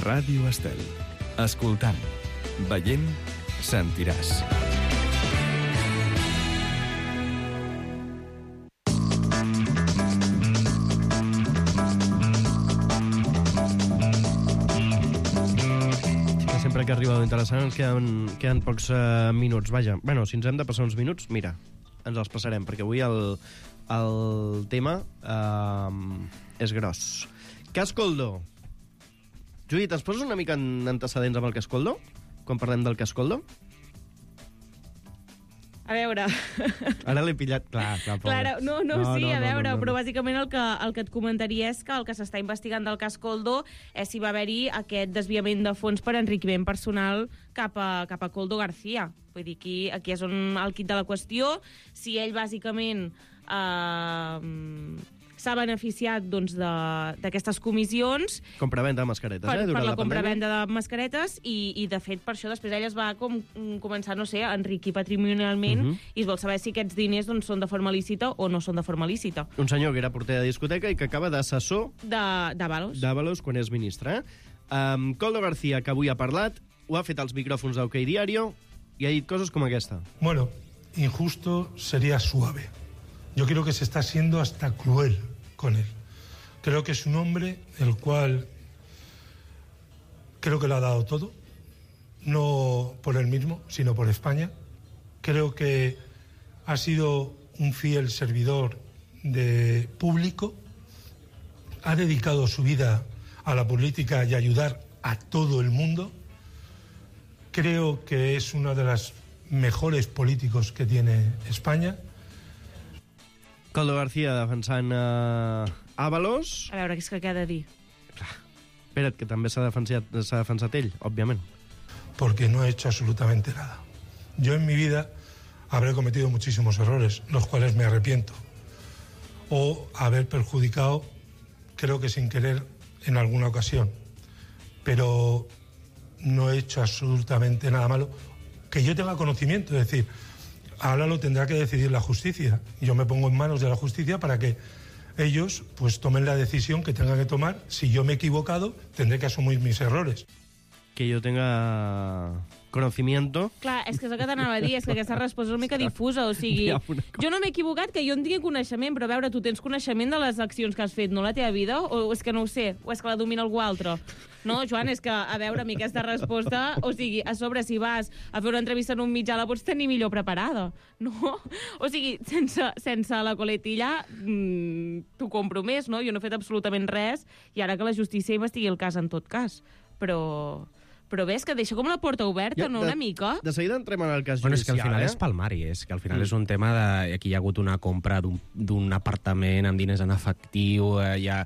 Ràdio Estel. Escoltant. Veient, sentiràs. Sempre que arriba l'interessant ens queden, queden pocs uh, minuts. Vaja, bueno, si ens hem de passar uns minuts, mira, ens els passarem, perquè avui el, el tema uh, és gros. Cas Coldo. Judit, ens poses una mica en antecedents amb el cas Coldo? Quan parlem del cas Coldo? A veure... Ara l'he pillat. Clar, clar, Clara, no, no, no, sí, no, a veure, no, no, no. però bàsicament el que, el que et comentaria és que el que s'està investigant del cas Coldo és si va haver-hi aquest desviament de fons per enriquiment personal cap a, cap a Coldo García. Vull dir, aquí, aquí és on el quid de la qüestió. Si ell, bàsicament, eh, s'ha beneficiat doncs, d'aquestes comissions... Compravenda de mascaretes, per, eh? Durant per la, la compravenda de mascaretes i, i, de fet, per això després ell es va com, començar, no sé, a enriquir patrimonialment uh -huh. i es vol saber si aquests diners doncs, són de forma lícita o no són de forma lícita. Un senyor que era porter de discoteca i que acaba d'assessor... D'Ábalos. D'Ábalos, quan és ministre. Eh? Um, Coldo García, que avui ha parlat, ho ha fet als micròfons d'Ok Diario i ha dit coses com aquesta. Bueno, injusto sería suave. Yo creo que se está siendo hasta cruel con él. Creo que es un hombre el cual creo que lo ha dado todo, no por él mismo, sino por España. Creo que ha sido un fiel servidor de público, ha dedicado su vida a la política y a ayudar a todo el mundo. Creo que es uno de los mejores políticos que tiene España. Coldo García defensant uh, Ábalos. A veure, què és que queda a dir? Espera't, que també s'ha defensat, s'ha defensat ell, òbviament. Porque no he hecho absolutamente nada. Yo en mi vida habré cometido muchísimos errores, los cuales me arrepiento. O haber perjudicado, creo que sin querer, en alguna ocasión. Pero no he hecho absolutamente nada malo que yo tenga conocimiento, es decir... Ahora lo tendrá que decidir la justicia. Yo me pongo en manos de la justicia para que ellos pues tomen la decisión que tengan que tomar. Si yo me he equivocado, tendré que asumir mis errores. Que yo tenga conocimiento... Clar, és que és el que t'anava a dir, és que aquesta resposta és una mica difusa, o sigui, jo no m'he equivocat que jo en tingui coneixement, però a veure, tu tens coneixement de les accions que has fet, no la teva vida? O és que no ho sé? O és que la domina algú altre? No, Joan, és que, a veure, a mi aquesta resposta, o sigui, a sobre, si vas a fer una entrevista en un mitjà, la pots tenir millor preparada, no? O sigui, sense, sense la coletilla, mmm, t'ho compro més, no? Jo no he fet absolutament res, i ara que la justícia investigui el cas en tot cas. Però... Però ves que deixa com la porta oberta, ja, no, una mica? De seguida entrem en el cas bueno, judicial, és que al final eh? és palmari, és que al final mm. és un tema de... Aquí hi ha hagut una compra d'un apartament amb diners en efectiu, eh, ja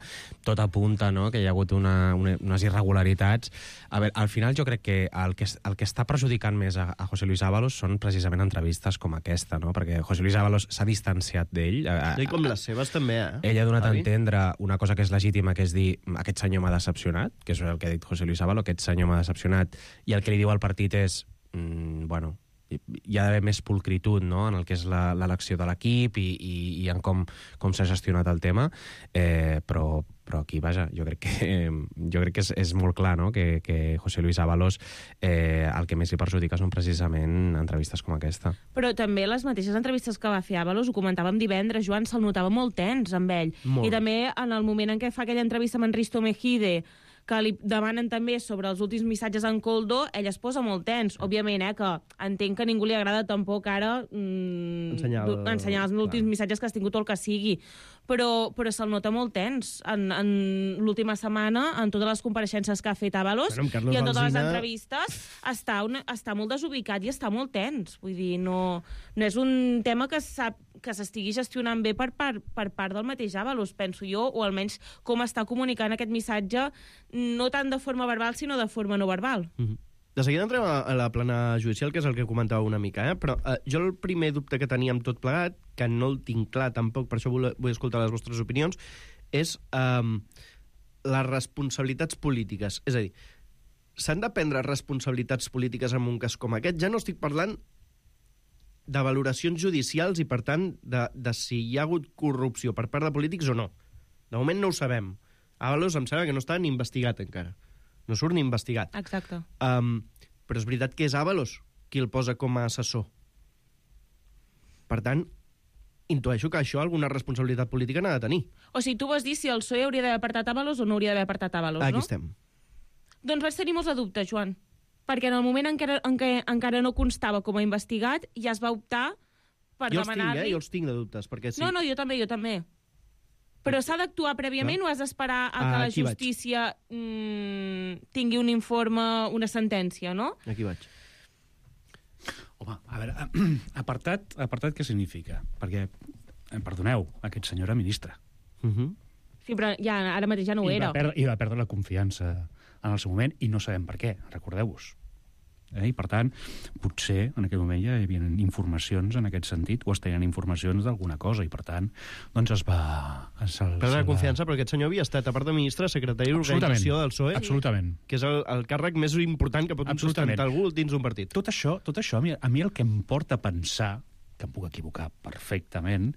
tot apunta, no?, que hi ha hagut una, una, unes irregularitats. A veure, al final jo crec que el que, el que està perjudicant més a, a José Luis Ábalos són precisament entrevistes com aquesta, no?, perquè José Luis Ábalos s'ha distanciat d'ell. I com les seves també, eh? Ell ha donat a entendre una cosa que és legítima, que és dir, aquest senyor m'ha decepcionat, que és el que ha dit José Luis Ábalos, aquest senyor m'ha decepcionat, i el que li diu al partit és, mm, bueno, hi ha d'haver més pulcritud, no?, en el que és l'elecció de l'equip i, i, i en com, com s'ha gestionat el tema, eh, però, però aquí, vaja, jo crec que, eh, jo crec que és, és molt clar, no?, que, que José Luis Ábalos eh, el que més li perjudica són precisament entrevistes com aquesta. Però també les mateixes entrevistes que va fer Ábalos, ho comentàvem divendres, Joan, se'l notava molt tens amb ell. Molt. I també en el moment en què fa aquella entrevista amb en Risto Mejide, que li demanen també sobre els últims missatges en Coldo, ell es posa molt tens. Òbviament, eh, que entenc que a ningú li agrada tampoc ara mm, ensenyar, el... ensenyar els últims missatges que has tingut o el que sigui. Però, però se'l nota molt tens. En, en l'última setmana, en totes les compareixences que ha fet Ábalos bueno, i en totes Alsina... les entrevistes, està, una, està molt desubicat i està molt tens. Vull dir, no, no és un tema que sap que s'estigui gestionant bé per, per, per part del mateix Ábalos, penso jo, o almenys com està comunicant aquest missatge, no tant de forma verbal, sinó de forma no verbal. Mm-hmm. De seguida entrem a, a la plana judicial, que és el que comentava una mica, eh? Però eh, jo el primer dubte que tenia amb tot plegat, que no el tinc clar tampoc, per això vull, vull escoltar les vostres opinions, és eh, les responsabilitats polítiques. És a dir, s'han de prendre responsabilitats polítiques en un cas com aquest? Ja no estic parlant de valoracions judicials i, per tant, de, de si hi ha hagut corrupció per part de polítics o no. De moment no ho sabem. Ábalos em sembla que no està ni investigat encara. No surt ni investigat. Exacte. Um, però és veritat que és Ábalos qui el posa com a assessor. Per tant, intueixo que això alguna responsabilitat política n'ha de tenir. O sigui, tu vols dir si el P S O E hauria d'haver apartat Ábalos o no hauria d'haver apartat Ábalos, no? Aquí estem. Doncs vaig tenir molts de dubtes, Joan, perquè en el moment en què, en què encara no constava com a investigat, ja es va optar per jo demanar-li... Els tinc, eh? Jo els tinc de dubtes, perquè sí. No, no, jo també, jo també. Però s'ha d'actuar prèviament no? o has d'esperar a que ah, la justícia mmm, tingui un informe, una sentència, no? Aquí vaig. Home, a veure, apartat, apartat què significa? Perquè, perdoneu, aquest senyor era ministre. Uh -huh. Sí, però ja, ara mateix ja no ho I era. Va perdre, I va perdre la confiança en el seu moment, i no sabem per què, recordeu-vos. Eh? I, per tant, potser en aquell moment ja hi havia informacions en aquest sentit, o es tenien informacions d'alguna cosa, i, per tant, doncs es va... Es, el, Perdre la va... confiança, però aquest senyor havia estat, a part de ministre, secretari d'organització del P S O E. Absolutament. Que és el, el càrrec més important que pot sustentar algú dins d'un partit. Tot això, tot això a, mi, a mi el que em porta a pensar, que em puc equivocar perfectament,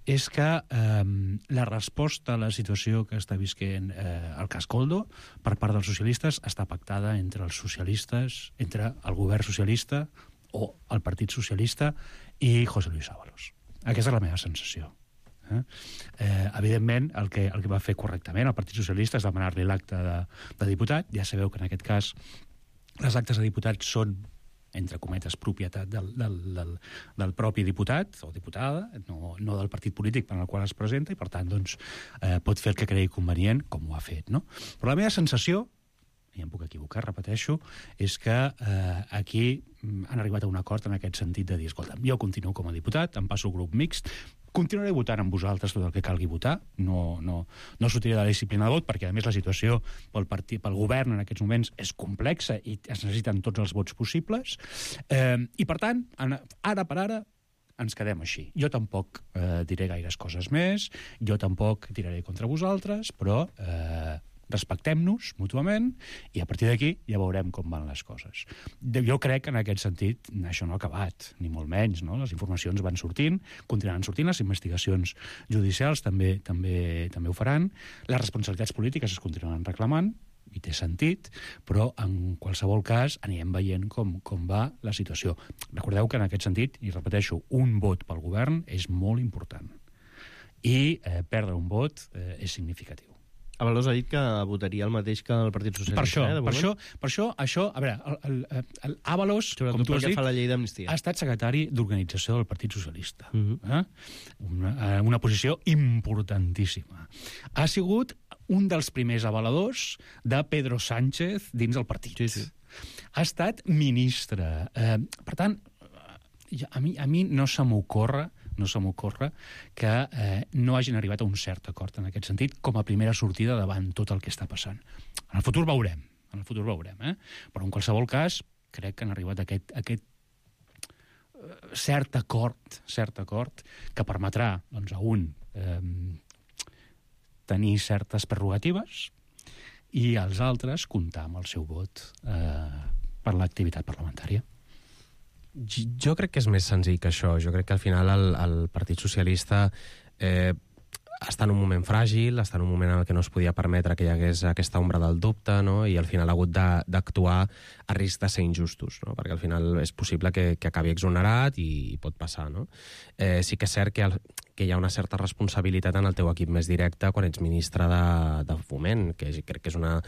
és que eh, la resposta a la situació que està visquent eh, el cas Koldo per part dels socialistes està pactada entre els socialistes, entre el govern socialista o el Partit Socialista i José Luis Ábalos. Aquesta és la meva sensació. Eh? Eh, evidentment, el que, el que va fer correctament el Partit Socialista és demanar-li l'acte de, de diputat. Ja sabeu que en aquest cas les actes de diputats són, entre cometes, propietat del, del, del, del propi diputat o diputada, no, no del partit polític per al qual es presenta, i per tant doncs, eh, pot fer el que cregui convenient, com ho ha fet, no? Però la meva sensació, i em puc equivocar, repeteixo, és que eh, aquí han arribat a un acord en aquest sentit de dir, escolta, jo continuo com a diputat, em passo al grup mixt, continuaré votant amb vosaltres tot el que calgui votar, no, no, no sortiré de la disciplina de vot, perquè a més la situació pel, partit, pel govern en aquests moments és complexa i es necessiten tots els vots possibles, eh, i per tant, ara per ara, ens quedem així. Jo tampoc eh, diré gaires coses més, jo tampoc tiraré contra vosaltres, però eh, respectem-nos mútuament i a partir d'aquí ja veurem com van les coses. Jo crec que en aquest sentit això no ha acabat, ni molt menys, no? Les informacions van sortint, continuaran sortint, les investigacions judicials també també també ho faran, les responsabilitats polítiques es continuaran reclamant, i té sentit, però en qualsevol cas anirem veient com, com va la situació. Recordeu que en aquest sentit, i repeteixo, un vot pel govern és molt important. I eh, perdre un vot eh, és significatiu. Ábalos ha dit que votaria el mateix que el Partit Socialista. Per això, eh, per això, per això, això a veure, el, el, el Ábalos, com tu has dit, fa la llei d'amnistia, ha estat secretari d'organització del Partit Socialista. Uh -huh. eh? una, una posició importantíssima. Ha sigut un dels primers avaladors de Pedro Sánchez dins el partit. Sí, sí. Ha estat ministre. Eh, per tant, a mi, a mi no se m'ocorre no se m'ocorre que eh, no hagin arribat a un cert acord en aquest sentit com a primera sortida davant tot el que està passant. En el futur veurem, en el futur veurem, eh? Però en qualsevol cas crec que han arribat a aquest, a aquest eh, cert acord, cert acord que permetrà doncs, a un eh, tenir certes prerrogatives i als altres comptar amb el seu vot eh, per l'activitat parlamentària. Jo crec que és més senzill que això. Jo crec que al final el, el Partit Socialista eh, està en un moment fràgil, està en un moment en el que no es podia permetre que hi hagués aquesta ombra del dubte, no? I al final ha hagut d'actuar a risc de ser injustos, no? Perquè al final és possible que, que acabi exonerat i, i pot passar, no? Eh, sí que és cert que, el, que hi ha una certa responsabilitat en el teu equip més directe quan ets ministre de, de Foment, que crec que és una,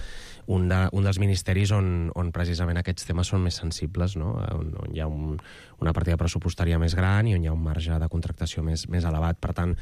un, de, un dels ministeris on, on precisament aquests temes són més sensibles, no? On, on hi ha un, una partida pressupostària més gran i on hi ha un marge de contractació més, més elevat. Per tant,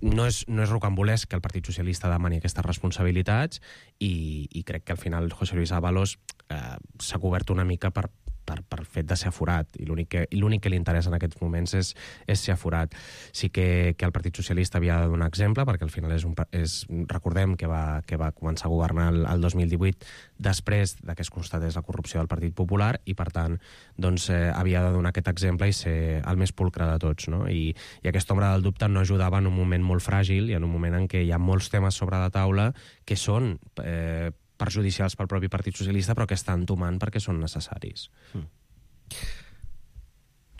no és, no és rocambolesc que el Partit Socialista demani aquestes responsabilitats i, i crec que al final José Luis Ábalos eh, s'ha cobert una mica per, per, per fet de ser aforat, i l'únic que, l'únic que li interessa en aquests moments és, és ser aforat. Sí que, que el Partit Socialista havia de donar exemple, perquè al final és un, és, recordem que va, que va començar a governar el, el dos mil divuit després de que es constatés la corrupció del Partit Popular, i per tant doncs, eh, havia de donar aquest exemple i ser el més pulcre de tots, no? I, i aquesta ombra del dubte no ajudava en un moment molt fràgil i en un moment en què hi ha molts temes sobre la taula que són eh, perjudicials pel propi Partit Socialista, però que estan tomant perquè són necessaris. Mm.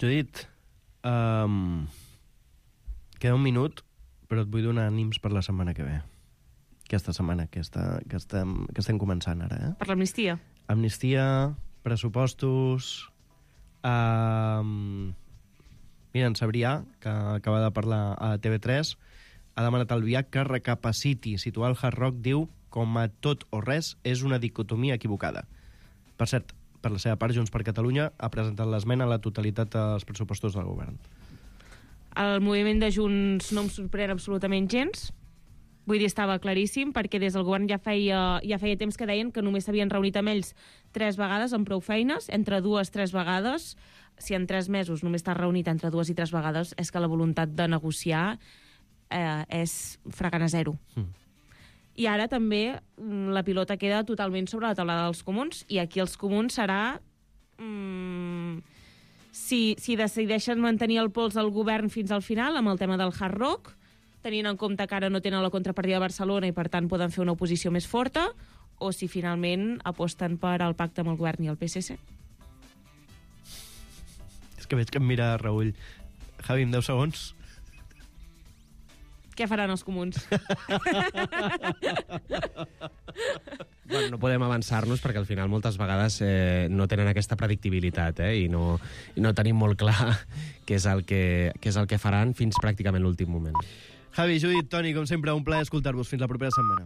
Judit, um, queda un minut, però et vull donar ànims per la setmana que ve. Aquesta setmana que, està, que, estem, que estem començant ara, eh? Per l'amnistia. Amnistia, pressupostos... Uh, mira, en Sabrià, que acaba de parlar a T V tres, ha demanat al Viac que recapaciti. Situar el Hard Rock, diu, com a tot o res, és una dicotomia equivocada. Per cert, per la seva part, Junts per Catalunya ha presentat l'esmena a la totalitat dels pressupostos del govern. El moviment de Junts no em sorprèn absolutament gens. Vull dir, estava claríssim, perquè des del govern ja feia, ja feia temps que deien que només s'havien reunit amb ells tres vegades amb prou feines, entre dues, tres vegades. Si en tres mesos només t'has reunit entre dues i tres vegades, és que la voluntat de negociar eh, és fracant a zero. Mm. I ara també la pilota queda totalment sobre la taula dels comuns, i aquí els comuns serà... Mm, si, si decideixen mantenir el pols al govern fins al final amb el tema del Hard Rock, tenint en compte que ara no tenen la contrapartida de Barcelona i per tant poden fer una oposició més forta, o si finalment aposten per al pacte amb el govern i el P S C. És que veig que em mira Raül. Javi, en deu segons. Què faran els comuns? Bueno, no podem avançar-nos perquè al final moltes vegades eh, no tenen aquesta predictibilitat, eh, i, no, i no tenim molt clar què és el que, què és el que faran fins pràcticament l'últim moment. Javi, Judit, Toni, com sempre, un plaer escoltar-vos. Fins la propera setmana.